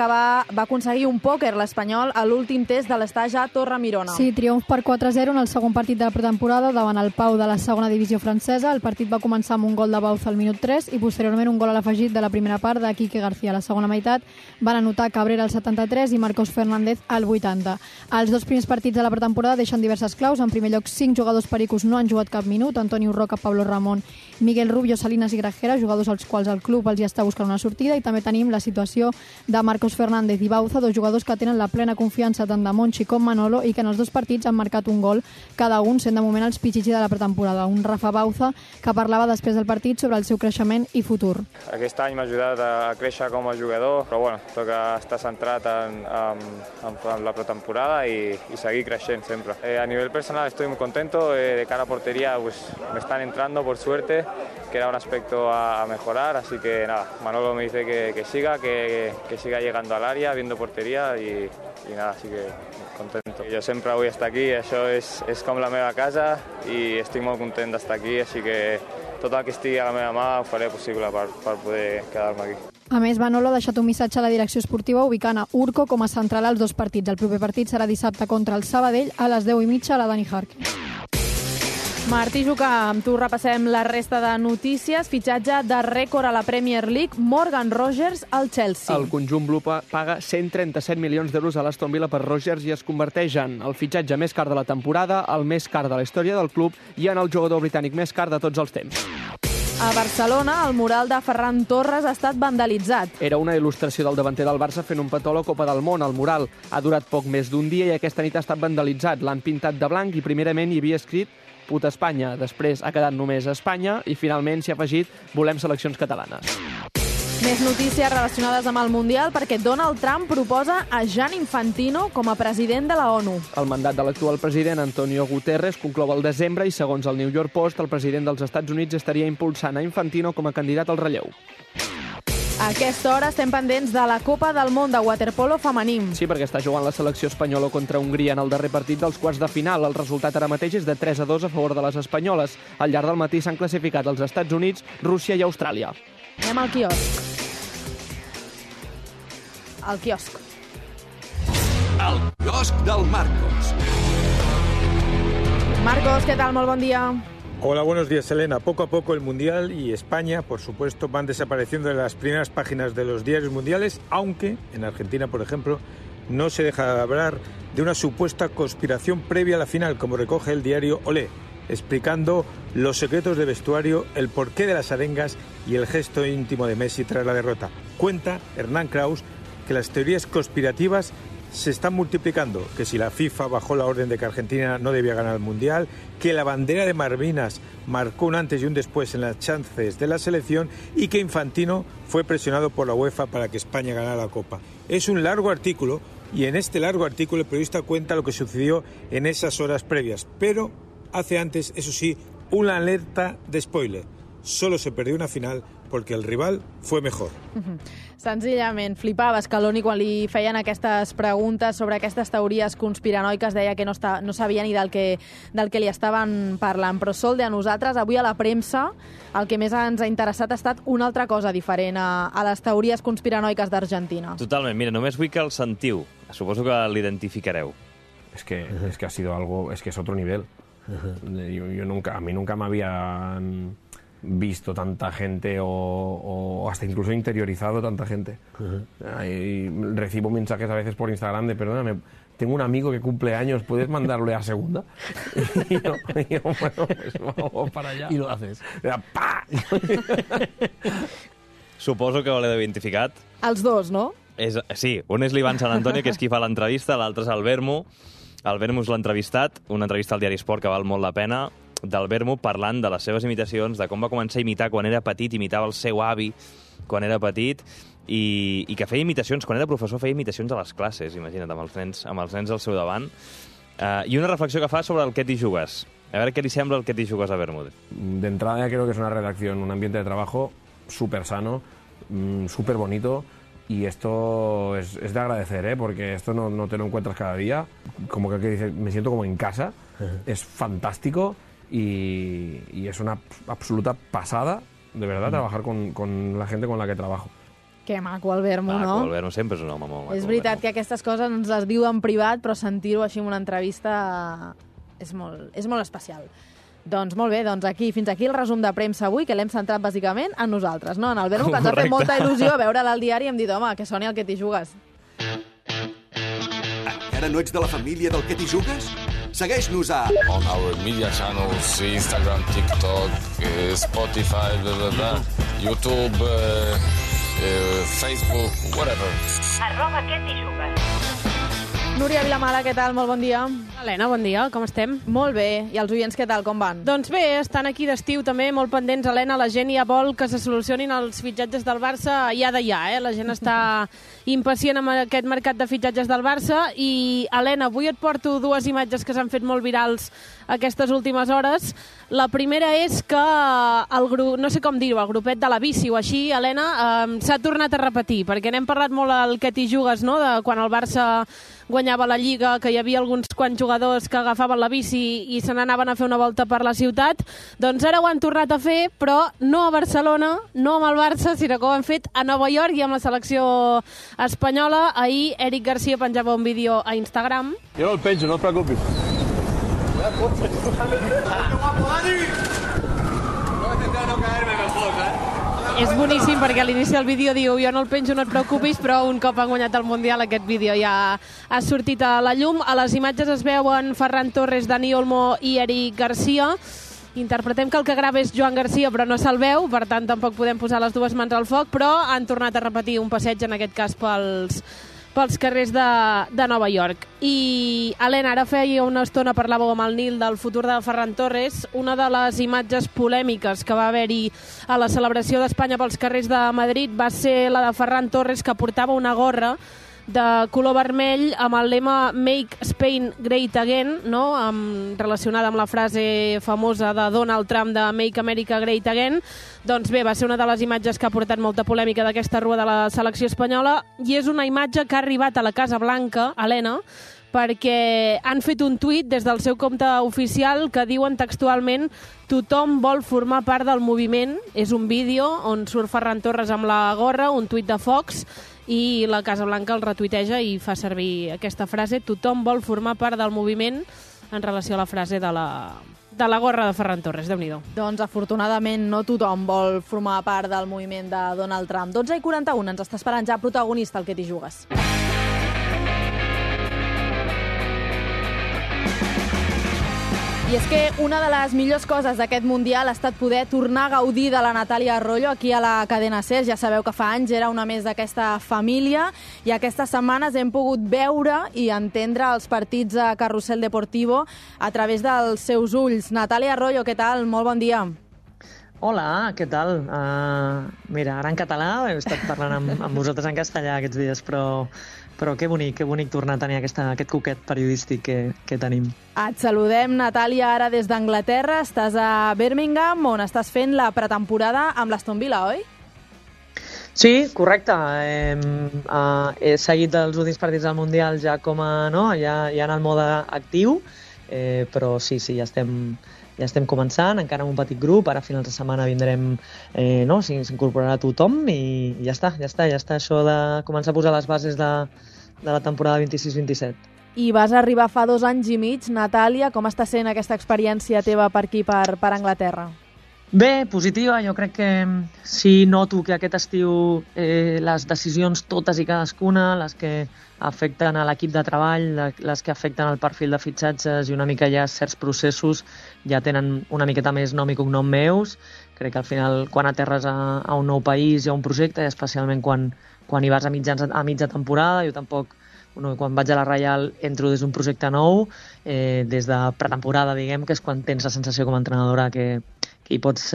aconseguir un pòquer l'Espanyol a l'últim test de l'estaix a Torre-Mirona. Sí, triomf per 4-0 en el segon partit de la pretemporada davant el Pau de la segona divisió francesa. El partit va començar amb un gol de Bauza al minut 3 i posteriorment un gol a l'afegit de la primera part de Quique García. A la segona meitat van anotar Cabrera al 73 i Marcos Fernández al 80. Els 2 primers partits de la pretemporada deixen diverses claus. En primer lloc, 5 jugadors pericos no han jugat cap minut: Antonio Roca, Pablo Ramón, Miguel Rubio, Salinas i Grajera, jugadors als quals el club els hi està buscant una sortida. I també tenim la situació de Marcos Fernández i Bauza, 2 jugadors que tenen la plena confiança tant de Monchi com Manolo i que en els 2 partits han marcat un gol cada un, sent de moment els pitxitxi de la pretemporada. Un Rafa Bauza que parlava després del partit sobre el seu creixement i futur. Aquest any m'ha ajudat a créixer com a jugador, però bueno, toca estar centrat en la pretemporada y seguir creciendo siempre. A nivel personal estoy muy contento, de cara a portería pues me están entrando por suerte, que era un aspecto a mejorar, así que nada, Manolo me dice que siga, que siga llegando al área, viendo portería y nada, así que contento. Jo sempre vull estar aquí, això és com la meva casa i estic molt content d'estar aquí, així que tot el que estigui a la meva mà ho faré possible per poder quedar-me aquí. A més, Manolo ha deixat un missatge a la direcció esportiva ubicant a Urco com a central als 2 partits. El proper partit serà dissabte contra el Sabadell a les 10:30 a la Dani Harkin. Martí Jucà, amb tu repassem la resta de notícies. Fitxatge de rècord a la Premier League, Morgan Rogers al Chelsea. El conjunt blu paga 137 milions d'euros a l'Aston Villa per Rogers i es converteix en el fitxatge més car de la temporada, el més car de la història del club i en el jugador britànic més car de tots els temps. A Barcelona, el mural de Ferran Torres ha estat vandalitzat. Era una il·lustració del davanter del Barça fent un petó a la Copa del Món. El mural ha durat poc més d'un dia i aquesta nit ha estat vandalitzat. L'han pintat de blanc i primerament hi havia escrit Puta Espanya. Després ha quedat només Espanya i finalment s'hi ha afegit Volem seleccions catalanes. Més notícies relacionades amb el Mundial perquè Donald Trump proposa a Gianni Infantino com a president de la ONU. El mandat de l'actual president, Antonio Guterres, conclou al desembre i, segons el New York Post, el president dels Estats Units estaria impulsant a Infantino com a candidat al relleu. A aquesta hora estem pendents de la Copa del Món de waterpolo femení. Sí, perquè està jugant la selecció espanyola contra Hongria en el darrer partit dels quarts de final. El resultat ara mateix és de 3-2 a favor de les espanyoles. Al llarg del matí s'han classificat els Estats Units, Rússia i Austràlia. Anem al quiosc. Al quiosc. El quiosc del Marcos. Marcos, ¿qué tal? Molt bon dia. Hola, buenos días, Elena. Poco a poco el Mundial y España, por supuesto, van desapareciendo de las primeras páginas de los diarios mundiales, aunque en Argentina, por ejemplo, no se deja de hablar de una supuesta conspiración previa a la final, como recoge el diario Olé, explicando los secretos de vestuario, el porqué de las arengas y el gesto íntimo de Messi tras la derrota. Cuenta Hernán Kraus que las teorías conspirativas se están multiplicando, que si la FIFA bajó la orden de que Argentina no debía ganar el Mundial, que la bandera de Malvinas marcó un antes y un después en las chances de la selección y que Infantino fue presionado por la UEFA para que España ganara la Copa. Es un largo artículo y en este largo artículo el periodista cuenta lo que sucedió en esas horas previas, pero hace antes, eso sí, una alerta de spoiler. Solo se perdió una final porque el rival fue mejor. Senzillament, flipava Scaloni quan li feien aquestes preguntes sobre aquestes teories conspiranoiques, deia que no sabia ni del que li estaven parlant. Però, Solde, a nosaltres, avui a la premsa, el que més ens ha interessat ha estat una altra cosa diferent a les teories conspiranoiques d'Argentina. Totalment, mira, només vull que el sentiu. Suposo que l'identificareu. Es que ha sido algo, es que es otro nivel. A mí nunca me habían visto tanta gente o hasta incluso interiorizado tanta gente. Recibo mensajes a veces por Instagram de perdóname, tengo un amigo que cumple años, ¿puedes mandarle a segunda? Y yo, bueno, pues vamos para allá. Y lo haces. ¡Pah! Suposo que l'heu identificat. Els dos, no? Sí, un és l'Ivan Sant Antonio, que és qui fa l'entrevista, l'altre és el Vermo. El Vermo és l'entrevistat, una entrevista al Diari Esport que val molt la pena, del Vermo parlant de les seves imitacions, de com va començar a imitar quan era petit, imitava el seu avi quan era petit, i que feia imitacions, quan era professor feia imitacions a les classes, imagina't, amb els nens al seu davant. I una reflexió que fa sobre el què t'hi jugues. A veure què li sembla el què t'hi jugues a Bermúdez. De entrada ya creo que es una redacción, un ambiente de trabajo súper sano, súper bonito, y esto es de agradecer, porque esto no te lo encuentras cada día. Como que dices, me siento como en casa, es fantástico. Y es una absoluta pasada, de verdad, trabajar con la gente con la que trabajo. Que maco el Vermo, no? Maco, el Vermo sempre és un home molt maco. És veritat que aquestes coses ens les diu en privat, però sentir-ho així en una entrevista és molt especial. Doncs molt bé, fins aquí el resum de premsa avui, que l'hem centrat bàsicament en nosaltres, no? En el Vermo, que ens ha fet molta il·lusió veure-la al diari i hem dit, home, que soni el que t'hi jugues. Encara no ets de la família del que t'hi jugues? Segueix-nos a... On our media channels, Instagram, TikTok, Spotify, YouTube, Facebook, whatever. @que t'hi jugues. Núria Vilamala, què tal? Molt bon dia. Helena, bon dia, com estem? Molt bé, i els oients què tal, com van? Doncs bé, estan aquí d'estiu també, molt pendents, Helena, la gent ja vol que se solucionin els fitxatges del Barça ja de ja, La gent està impacient amb aquest mercat de fitxatges del Barça i, Helena, avui et porto dues imatges que s'han fet molt virals aquestes últimes hores. La primera és que el grup, no sé com dir-ho, el grupet de la bici o així, Helena, s'ha tornat a repetir, perquè n'hem parlat molt al Què t'hi jugues, no?, de quan el Barça guanyava la Lliga, que hi havia alguns quants jugadors que agafaven la bici i se n'anaven a fer una volta per la ciutat. Doncs ara ho han tornat a fer, però no a Barcelona, no amb el Barça, sinó que ho han fet a Nova York i amb la selecció espanyola. Ahir Eric Garcia penjava un vídeo a Instagram. Jo no el penjo, no et preocupis. És boníssim perquè a l'inici del vídeo diu jo no el penjo, no et preocupis, però un cop han guanyat el Mundial aquest vídeo ja ha sortit a la llum. A les imatges es veuen Ferran Torres, Dani Olmo i Eric Garcia. Interpretem que el que grava és Joan Garcia, però no se'l veu, per tant tampoc podem posar les dues mans al foc, però han tornat a repetir un passeig, en aquest cas pels carrers de Nova York. I, Helena, ara feia una estona parlàveu amb el Nil del futur de Ferran Torres. Una de les imatges polèmiques que va haver-hi a la celebració d'Espanya pels carrers de Madrid va ser la de Ferran Torres, que portava una gorra de color vermell amb el lema Make Spain Great Again, no? Relacionada amb la frase famosa de Donald Trump de Make America Great Again. Doncs bé, va ser una de les imatges que ha portat molta polèmica d'aquesta rua de la selecció espanyola i és una imatge que ha arribat a la Casa Blanca, Helena, perquè han fet un tuit des del seu compte oficial que diuen textualment tothom vol formar part del moviment. És un vídeo on surt Ferran Torres amb la gorra, un tuit de Fox, i la Casa Blanca el retuiteja i fa servir aquesta frase, tothom vol formar part del moviment, en relació a la frase de la gorra de Ferran Torres. Déu-n'hi-do. Doncs afortunadament no tothom vol formar part del moviment de Donald Trump. 12:41, ens està esperant ja protagonista el Què t'hi jugues. I és que una de les millors coses d'aquest Mundial ha estat poder tornar a gaudir de la Natàlia Arroyo aquí a la cadena SER. Ja sabeu que fa anys era una més d'aquesta família i aquestes setmanes hem pogut veure i entendre els partits a Carrusel Deportivo a través dels seus ulls. Natàlia Arroyo, què tal? Molt bon dia. Hola, què tal? Mira, ara en català, he estat parlant amb vosaltres en castellà aquests dies, però que bonic tornar a tenir aquest coquet periodístic que tenim. Et saludem, Natàlia, ara des d'Anglaterra. Estàs a Birmingham, on estàs fent la pretemporada amb l'Aston Villa, oi? Sí, correcte. He seguit els últims partits del Mundial ja ja en el mode actiu, però sí, ja estem començant, encara amb un petit grup. Ara a finals de setmana vindrem, s'incorporarà tothom i ja està això de començar a posar les bases de la temporada 26-27. I vas arribar fa 2 anys i mig, Natàlia. Com està sent aquesta experiència teva per aquí, per Anglaterra? Bé, positiva. Jo crec que sí noto que aquest estiu les decisions totes i cadascuna, les que afecten a l'equip de treball, les que afecten al perfil de fitxatges i una mica ja certs processos ja tenen una miqueta més nom i cognom meus. Crec que al final quan aterres a un nou país i a un projecte, i especialment quan hi vas a mitja temporada, jo tampoc, quan vaig a la Reial entro des d'un projecte nou, des de pretemporada, diguem, que és quan tens la sensació com a entrenadora que hi pots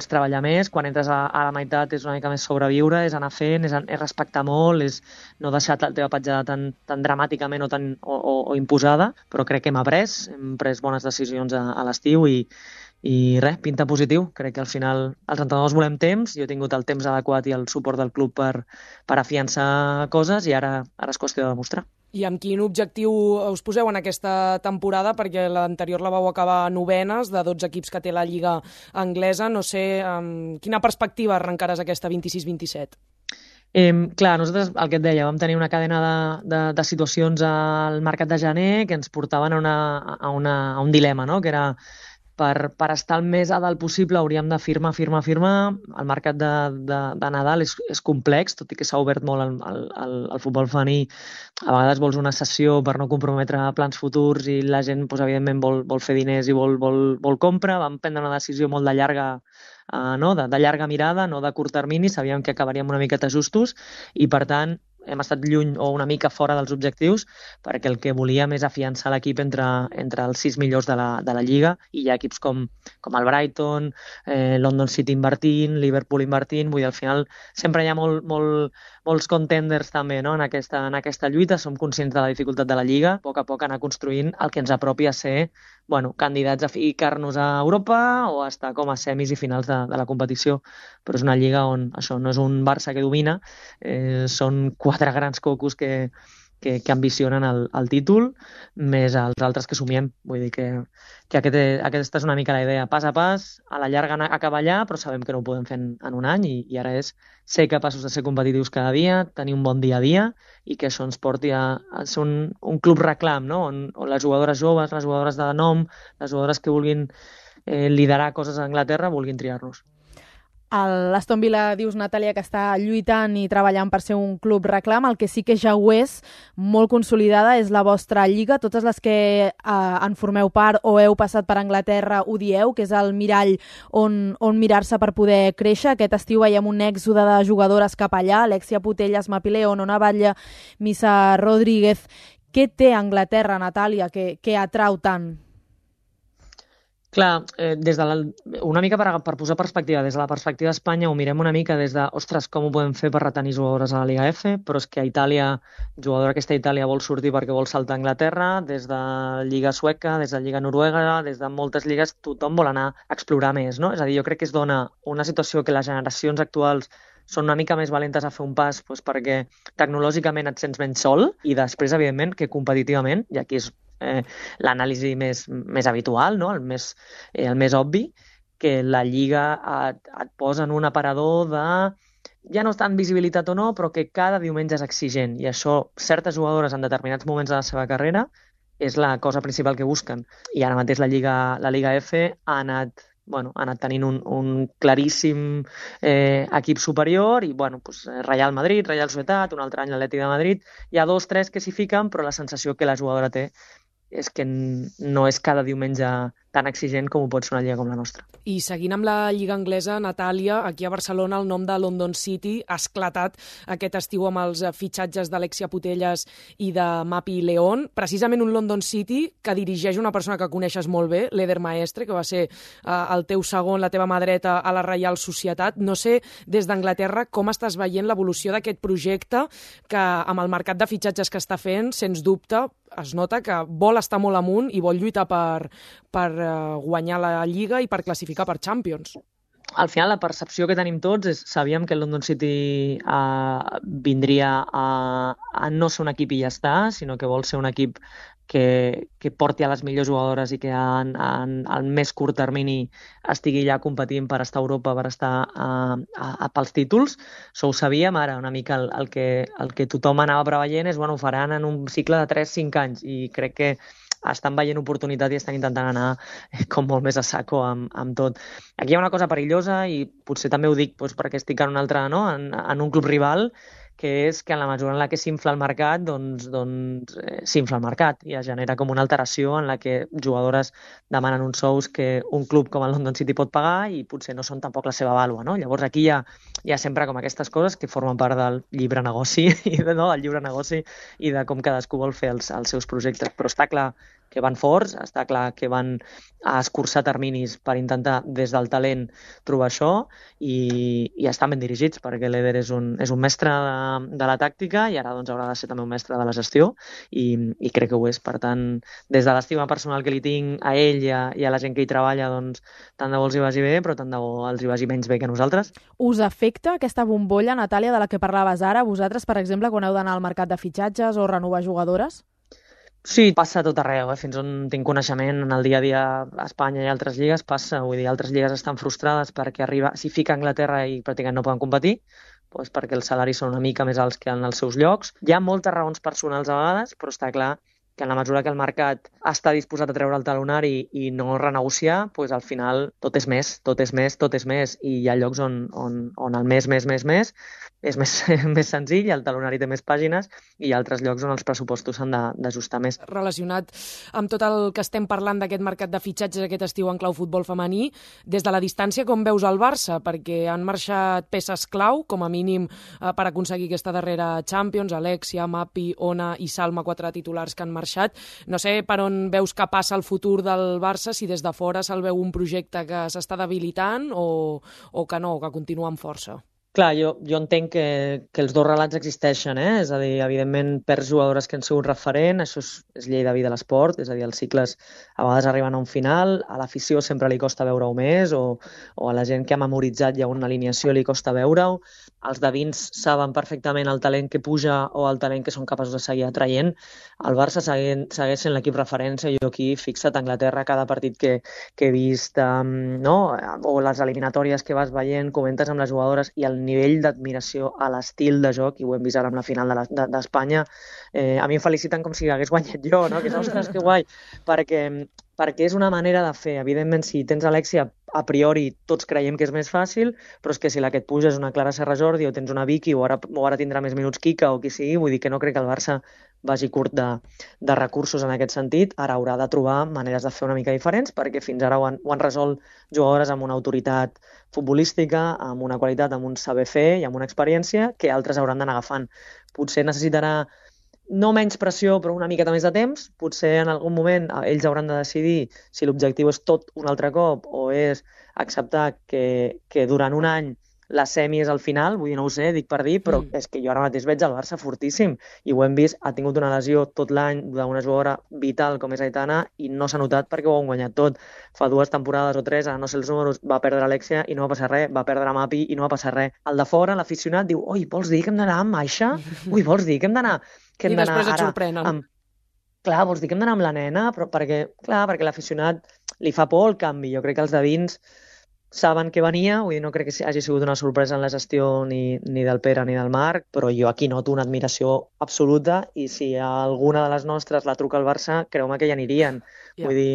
treballar més. Quan entres a la meitat és una mica més sobreviure, és anar fent, és respectar molt, és no deixar la teva petjada tan dramàticament o imposada, però crec que hem pres bones decisions a l'estiu i res, pinta positiu. Crec que al final els entrenadors volem temps, jo he tingut el temps adequat i el suport del club per afiançar coses i ara és qüestió de demostrar. I amb quin objectiu us poseu en aquesta temporada? Perquè l'anterior la vau acabar novenes de 12 equips que té la Lliga anglesa. No sé, amb quina perspectiva arrencaràs aquesta 26-27? Clar, nosaltres, el que et deia, vam tenir una cadena de situacions al mercat de gener que ens portaven a un dilema, no? Que era per estar el més a dalt possible hauríem de firmar. El mercat de Nadal és complex, tot i que s'ha obert molt al futbol femení. A vegades vols una sessió per no comprometre plans futurs i la gent, evidentment, vol fer diners i vol compra. Vam prendre una decisió molt de llarga mirada, no de curt termini. Sabíem que acabaríem una miqueta justos i, per tant, hem estat lluny o una mica fora dels objectius, perquè el que volíem és afiançar l'equip entre els 6 millors de la Lliga, i hi ha equips com el Brighton, London City invertint, Liverpool invertint, vull dir, al final sempre hi ha molts contenders també, no? en aquesta lluita. Som conscients de la dificultat de la Lliga, a poc anar construint el que ens apropi a ser candidats a ficar-nos a Europa o a estar com a semis i finals de la competició. Però és una Lliga on això no és un Barça que domina, són 4 grans cocos que ambicionen el títol, més els altres que somiem. Vull dir que aquesta és una mica la idea. Pas a pas, a la llarga acabar allà, però sabem que no ho podem fer en un any, i ara és ser capaços de ser competitius cada dia, tenir un bon dia a dia, i que això ens porti a ser un club reclam, no? on les jugadores joves, les jugadores de nom, les jugadores que vulguin liderar coses a Anglaterra, vulguin triar-nos. L'Aston Villa, dius, Natàlia, que està lluitant i treballant per ser un club reclam. El que sí que ja ho és, molt consolidada, és la vostra lliga. Totes les que en formeu part o heu passat per Anglaterra ho dieu, que és el mirall on mirar-se per poder créixer. Aquest estiu veiem un èxode de jugadores cap allà, Alexia Putellas, Mapi León, Ona Batlle, Missa Rodríguez. Què té Anglaterra, Natàlia, que atrau tant? Clar, una mica per posar perspectiva, des de la perspectiva d'Espanya ho mirem una mica des de, ostres, com ho podem fer per retenir jugadores a la Liga F, però és que a Itàlia, jugador aquesta a Itàlia vol sortir perquè vol saltar a Anglaterra, des de Lliga Sueca, des de Lliga Noruega, des de moltes lligues, tothom vol anar a explorar més, no? És a dir, jo crec que es dona una situació que les generacions actuals són una mica més valentes a fer un pas, perquè tecnològicament et sents menys sol, i després, evidentment, que competitivament, i aquí és l'anàlisi més habitual, no? el més obvi, que la Lliga et posa en un aparador de ja no tant visibilitat o no, però que cada diumenge és exigent, i això certes jugadores en determinats moments de la seva carrera és la cosa principal que busquen. I ara mateix la Liga F ha anat tenint un claríssim equip superior, i Real Madrid, Real Societat, un altre any l'Atlètic de Madrid, hi ha 2 o 3 que s'hi fiquen, però la sensació que la jugadora té és que no és cada diumenge tan exigent com ho pot ser una lliga com la nostra. I seguint amb la lliga anglesa, Natàlia, aquí a Barcelona el nom de London City ha esclatat aquest estiu amb els fitxatges d'Alexia Putellas i de Mapi León. Precisament un London City que dirigeix una persona que coneixes molt bé, l'Eder Maestre, que va ser el teu segon, la teva mà dreta a la Reial Societat. No sé, des d'Anglaterra, com estàs veient l'evolució d'aquest projecte que amb el mercat de fitxatges que està fent, sens dubte, es nota que vol estar molt amunt i vol lluitar per guanyar la Lliga i per classificar per Champions. Al final, la percepció que tenim tots és, sabíem que el London City vindria a no ser un equip i ja està, sinó que vol ser un equip que porti a les millors jugadores i que al més curt termini estigui ja competint per estar a Europa, per estar pels títols. Això ho sabíem. Ara una mica el que tothom anava preveient és, ho faran en un cicle de 3-5 anys, i crec que estan veient oportunitat i estan intentant anar com molt més a saco amb tot. Aquí hi ha una cosa perillosa, i potser també ho dic perquè estic en un altre, no? en un club rival, que és que en la mesura en la que s'infla el mercat, doncs s'infla el mercat i es genera com una alteració en la que jugadores demanen uns sous que un club com el London City pot pagar i potser no són tampoc la seva vàlua, no? Llavors aquí hi ha sempre com aquestes coses que formen part del llibre negoci, del llibre negoci i de com cadascú vol fer els seus projectes. Però està clar que van forts, està clar que van a escurçar terminis per intentar des del talent trobar això, i estan ben dirigits, perquè l'Eder és un mestre de la tàctica i ara haurà de ser també un mestre de la gestió, i crec que ho és. Per tant, des de l'estima personal que li tinc a ell i a la gent que hi treballa, doncs tant de bo els hi vagi bé, però tant de bo els hi vagi menys bé que a nosaltres. Us afecta aquesta bombolla, Natàlia, de la que parlaves ara, vosaltres, per exemple, quan heu d'anar al mercat de fitxatges o renovar jugadores? Sí, passa a tot arreu, fins on tinc coneixement en el dia a dia a Espanya i altres lligues passa, vull dir, altres lligues estan frustrades perquè s'hi fica a Anglaterra i pràcticament no poden competir, doncs perquè els salaris són una mica més alts que en els seus llocs. Hi ha moltes raons personals a vegades, però està clar que en la mesura que el mercat està disposat a treure el talonari i no renegociar, doncs al final tot és més, i hi ha llocs on el més és més senzill, el talonari té més pàgines, i hi ha altres llocs on els pressupostos s'han d'ajustar més. Relacionat amb tot el que estem parlant d'aquest mercat de fitxatges aquest estiu en clau futbol femení, des de la distància com veus el Barça? Perquè han marxat peces clau, com a mínim per aconseguir aquesta darrera Champions, Alexia, Mapi, Ona i Salma, 4 titulars que han marxat. No sé per on veus que passa el futur del Barça, si des de fora se'l veu un projecte que s'està debilitant o que no, que continua amb força. Clar, jo entenc que els dos relats existeixen, és a dir, evidentment perds jugadores que han sigut referent, això és llei de vida de l'esport, és a dir, els cicles a vegades arriben a un final, a l'afició sempre li costa veure-ho més, o a la gent que ha memoritzat ja una alineació li costa veure-ho, els de dins saben perfectament el talent que puja o el talent que són capaços de seguir atraient. El Barça segueix sent l'equip referència. Jo aquí, fixa't, a Anglaterra, cada partit que he vist, o les eliminatòries que vas veient, comentes amb les jugadores i el nivell d'admiració a l'estil de joc, i ho hem vist ara amb la final d'Espanya, a mi em feliciten com si hagués guanyat jo, no? Que és, ostres, que guai, perquè és una manera de fer. Evidentment, si tens Alexia, a priori tots creiem que és més fàcil, però és que si la que et puja és una Clara Serra Jordi o tens una Vicky o ara tindrà més minuts Kika o qui sigui, vull dir que no crec que el Barça vagi curt de recursos en aquest sentit. Ara haurà de trobar maneres de fer una mica diferents, perquè fins ara ho han resolt jugadores amb una autoritat futbolística, amb una qualitat, amb un saber fer i amb una experiència que altres hauran d'anar agafant. Potser necessitarà no menys pressió, però una miqueta més de temps. Potser en algun moment ells hauran de decidir si l'objectiu és tot un altre cop o és acceptar que durant un any la semi és al final, vull dir, no ho sé, dic per dir, però és que jo ara mateix veig el Barça fortíssim i ho hem vist, ha tingut una lesió tot l'any d'una jugadora vital com és Aitana i no s'ha notat perquè ho han guanyat tot. Fa 2 temporades o 3, ara no sé els números, va perdre Alexia i no va passar res, va perdre Mapi i no va passar res. El de fora, l'aficionat, diu, oi, vols dir que hem d'anar amb Aixa? Ui, vols dir que hem d'anar... I després et sorprenen. Clar, vols dir que hem d'anar amb la nena? Però perquè l'aficionat li fa por el canvi. Jo crec que els de dins saben que venia, vull dir, no crec que hagi sigut una sorpresa en la gestió ni del Pere ni del Marc, però jo aquí noto una admiració absoluta i si alguna de les nostres la truca al Barça, creu-me que hi anirien. Vull dir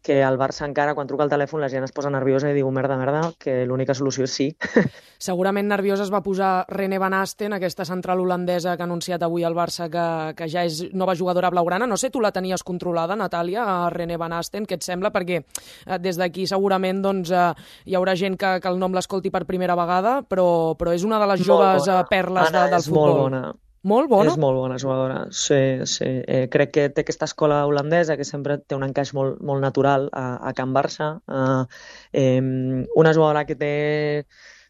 que al Barça encara, quan truca el telèfon, la gent es posa nerviosa i diu, merda, que l'única solució és sí. Segurament nerviosa es va posar René Van Asten, aquesta central holandesa que ha anunciat avui el Barça que ja és nova jugadora blaugrana. No sé, tu la tenies controlada, Natàlia, a René Van Asten, què et sembla? Perquè des d'aquí segurament hi haurà gent que el nom l'escolti per primera vegada, però és una de les joves perles del futbol. Molt bona. Molt bona? És molt bona jugadora, sí. Crec que té aquesta escola holandesa que sempre té un encaix molt natural a Can Barça. Una jugadora que té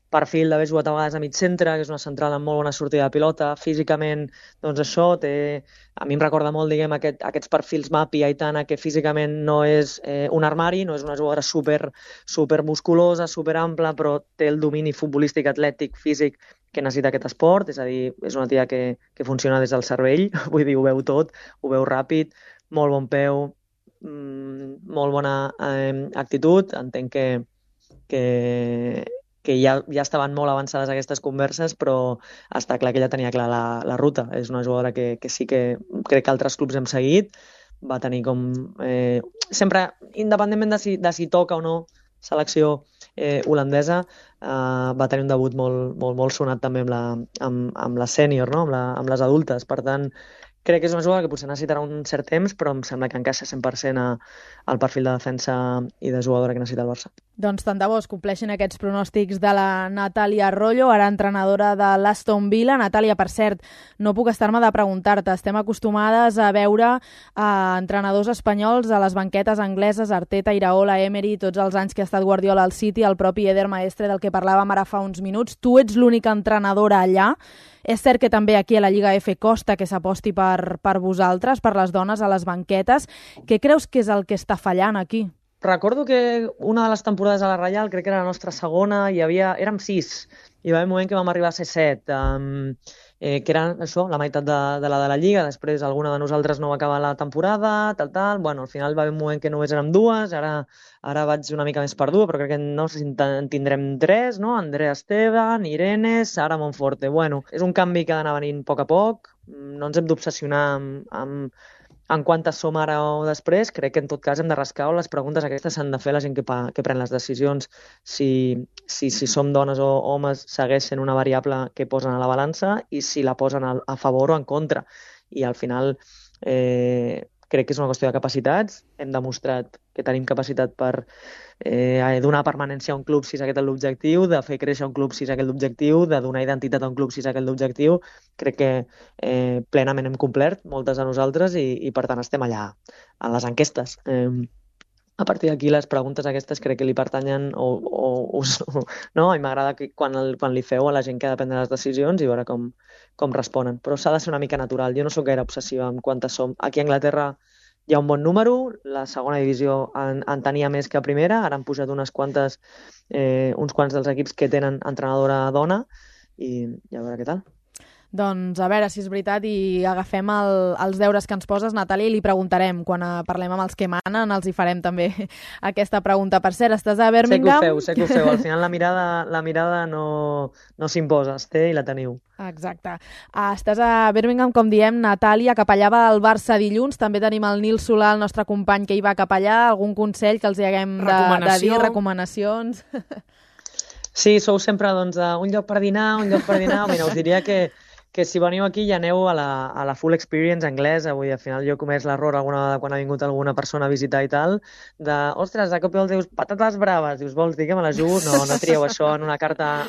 perfil d'haver jugat a vegades a mig centre, que és una central amb molt bona sortida de pilota. Físicament, doncs això, a mi em recorda molt, diguem, aquests perfils Mapi, Aitana, que físicament no és un armari, no és una jugadora super musculosa, super ampla, però té el domini futbolístic, atlètic, físic que necessita aquest esport, és a dir, és una tia que funciona des del cervell, vull dir, ho veu tot, ho veu ràpid, molt bon peu, molt bona actitud. Entenc que ja estaven molt avançades aquestes converses, però està clar que ella tenia clar la ruta. És una jugadora que sí que crec que altres clubs hem seguit, va tenir com... sempre, independentment de si toca o no selecció holandesa, va tenir un debut molt sonat també amb la sènior, no? amb les adultes. Per tant, crec que és una jugada que potser necessitarà un cert temps, però em sembla que encaixa 100% al perfil de defensa i de jugadora que necessita el Barça. Doncs tant de bo es compleixin aquests pronòstics de la Natàlia Arroyo, ara entrenadora de l'Aston Villa. Natàlia, per cert, no puc estar-me de preguntar-te. Estem acostumades a veure entrenadors espanyols a les banquetes angleses, Arteta, Iraola, Emery, tots els anys que ha estat Guardiola al City, el propi Eder Maestre, del que parlàvem ara fa uns minuts. Tu ets l'única entrenadora allà. És cert que també aquí a la Lliga F costa que s'aposti per vosaltres, per les dones a les banquetes. Què creus que és el que està fallant aquí? Recordo que una de les temporades a la Reial, crec que era la nostra segona, érem 6, i va haver un moment que vam arribar a ser 7, que era això, la meitat de la Lliga. Després alguna de nosaltres no va acabar la temporada, tal. Bueno, al final va haver un moment que només érem 2, ara vaig una mica més perdua, però crec que no sé si en tindrem 3, no? Andrea Esteban, Irene, Sara Monforte. Bueno, és un canvi que ha d'anar venint a poc, no ens hem d'obsessionar amb en quantes som ara o després, crec que en tot cas hem de rascar o les preguntes aquestes s'han de fer la gent que pren les decisions. Si som dones o homes segueix sent una variable que posen a la balança i si la posen a favor o en contra. I al final crec que és una qüestió de capacitats. Hem demostrat que tenim capacitat per donar permanència a un club si és aquest l'objectiu, de fer créixer un club si és aquest l'objectiu, de donar identitat a un club si és aquest l'objectiu. Crec que plenament hem complert, moltes de nosaltres, i per tant estem allà a les enquestes. A partir d'aquí, les preguntes aquestes crec que li pertanyen no? I m'agrada que quan li feu a la gent que ha de prendre les decisions i veure com responen. Però s'ha de ser una mica natural. Jo no sóc gaire obsessiva amb quantes som. Aquí a Anglaterra hi ha un bon número, la segona divisió en tenia més que a primera, ara han pujat uns quants dels equips que tenen entrenadora dona i a veure què tal. Doncs a veure si és veritat i agafem els deures que ens poses, Natàlia, i li preguntarem. Quan parlem amb els que manen els hi farem també aquesta pregunta. Per cert, estàs a Birmingham? Sé que ho feu. Al final la mirada no s'imposa, es té i la teniu. Exacte. Estàs a Birmingham, com diem, Natàlia, capellava el Barça dilluns. També tenim el Nil Solà, el nostre company, que hi va capellar. Algun consell que els hi haguem de dir? Recomanacions? Sí, sou sempre un lloc per dinar. Mira, us diria que si veniu aquí ja aneu a la full experience anglesa. Vull dir, al final jo he comès l'error alguna vegada quan ha vingut alguna persona a visitar i tal, ostres, de cop i volta dius, patates braves, dius, vols dir que me les jugo? No trieu això en una carta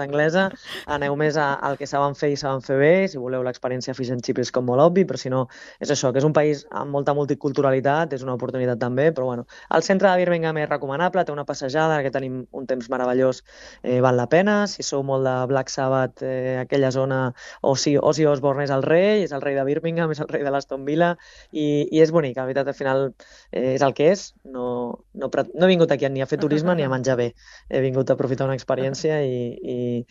anglesa, aneu més al que saben fer i saben fer bé. Si voleu l'experiència fish and chips és com molt obvi, però si no, és això, que és un país amb molta multiculturalitat, és una oportunitat també, però bueno, el centre de Birmingham és recomanable, té una passejada, que tenim un temps meravellós, val la pena. Si sou molt de Black Sabbath, aquella zona, o si Ozzy Osbourne és el rei de Birmingham, és el rei de l'Aston Villa, i és bonic, la veritat, al final és el que és. No he vingut aquí ni a fer turisme ni a menjar bé, he vingut a aprofitar una experiència i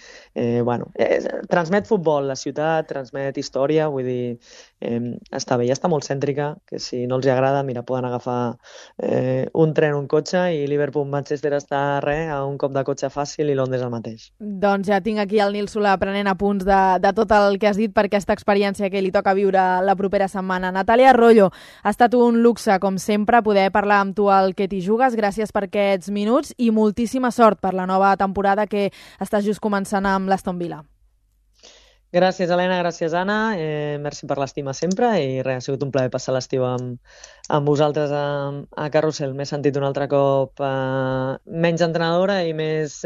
transmet futbol, la ciutat, transmet història, vull dir, està bé, ja està molt cèntrica, que si no els hi agrada, mira, poden agafar un tren, un cotxe, i Liverpool-Manchester està a un cop de cotxe fàcil, i Londres el mateix. Doncs ja tinc aquí el Nil Solà prenent apunts de tot el que has dit per aquesta experiència que li toca viure la propera setmana. Natàlia Arroyo, ha estat un luxe, com sempre, poder parlar amb tu al Que t'hi jugues. Gràcies per aquests minuts i moltíssima sort per la nova temporada que estàs just començant amb l'Aston Villa. Gràcies, Helena, gràcies, Anna. Merci per l'estima sempre i res, ha sigut un plaer passar l'estiu amb vosaltres a Carrusel. M'he sentit un altre cop menys entrenadora i més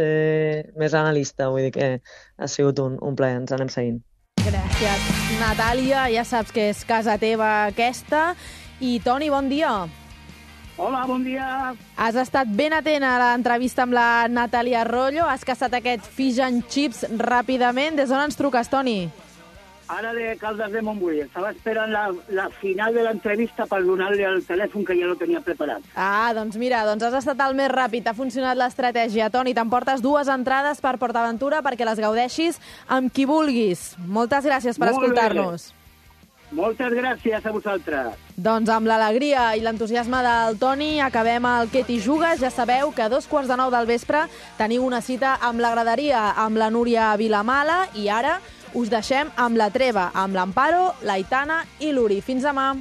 analista, vull dir que ha sigut un plaer, ens anem seguint. Gràcies, Natàlia, ja saps que és casa teva aquesta. I Toni, bon dia. Hola, bon dia. Has estat ben atent a l'entrevista amb la Natàlia Arroyo, has caçat aquest fish and chips ràpidament. Des d'on ens truques, Toni? Ara de Caldes de Montbui. Estava esperant la final de l'entrevista per donar-li el telèfon, que ja lo tenia preparat. Doncs mira, has estat el més ràpid, ha funcionat l'estratègia. Toni, t'emportes 2 entrades per PortAventura perquè les gaudeixis amb qui vulguis. Moltes gràcies per escoltar-nos. Moltes gràcies a vosaltres. Doncs amb l'alegria i l'entusiasme del Toni acabem el Que t'hi jugues. Ja sabeu que a 2:45 del vespre teniu una cita amb la graderia amb la Núria Vilamala i ara us deixem amb la treva, amb l'Amparo, l'Aitana i l'Uri. Fins demà.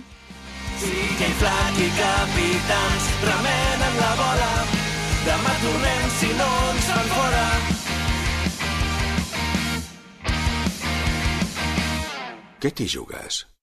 Siguem Flac i capitans, remenen la bola. Demà tornem si no ens fan fora. Què t'hi jugues?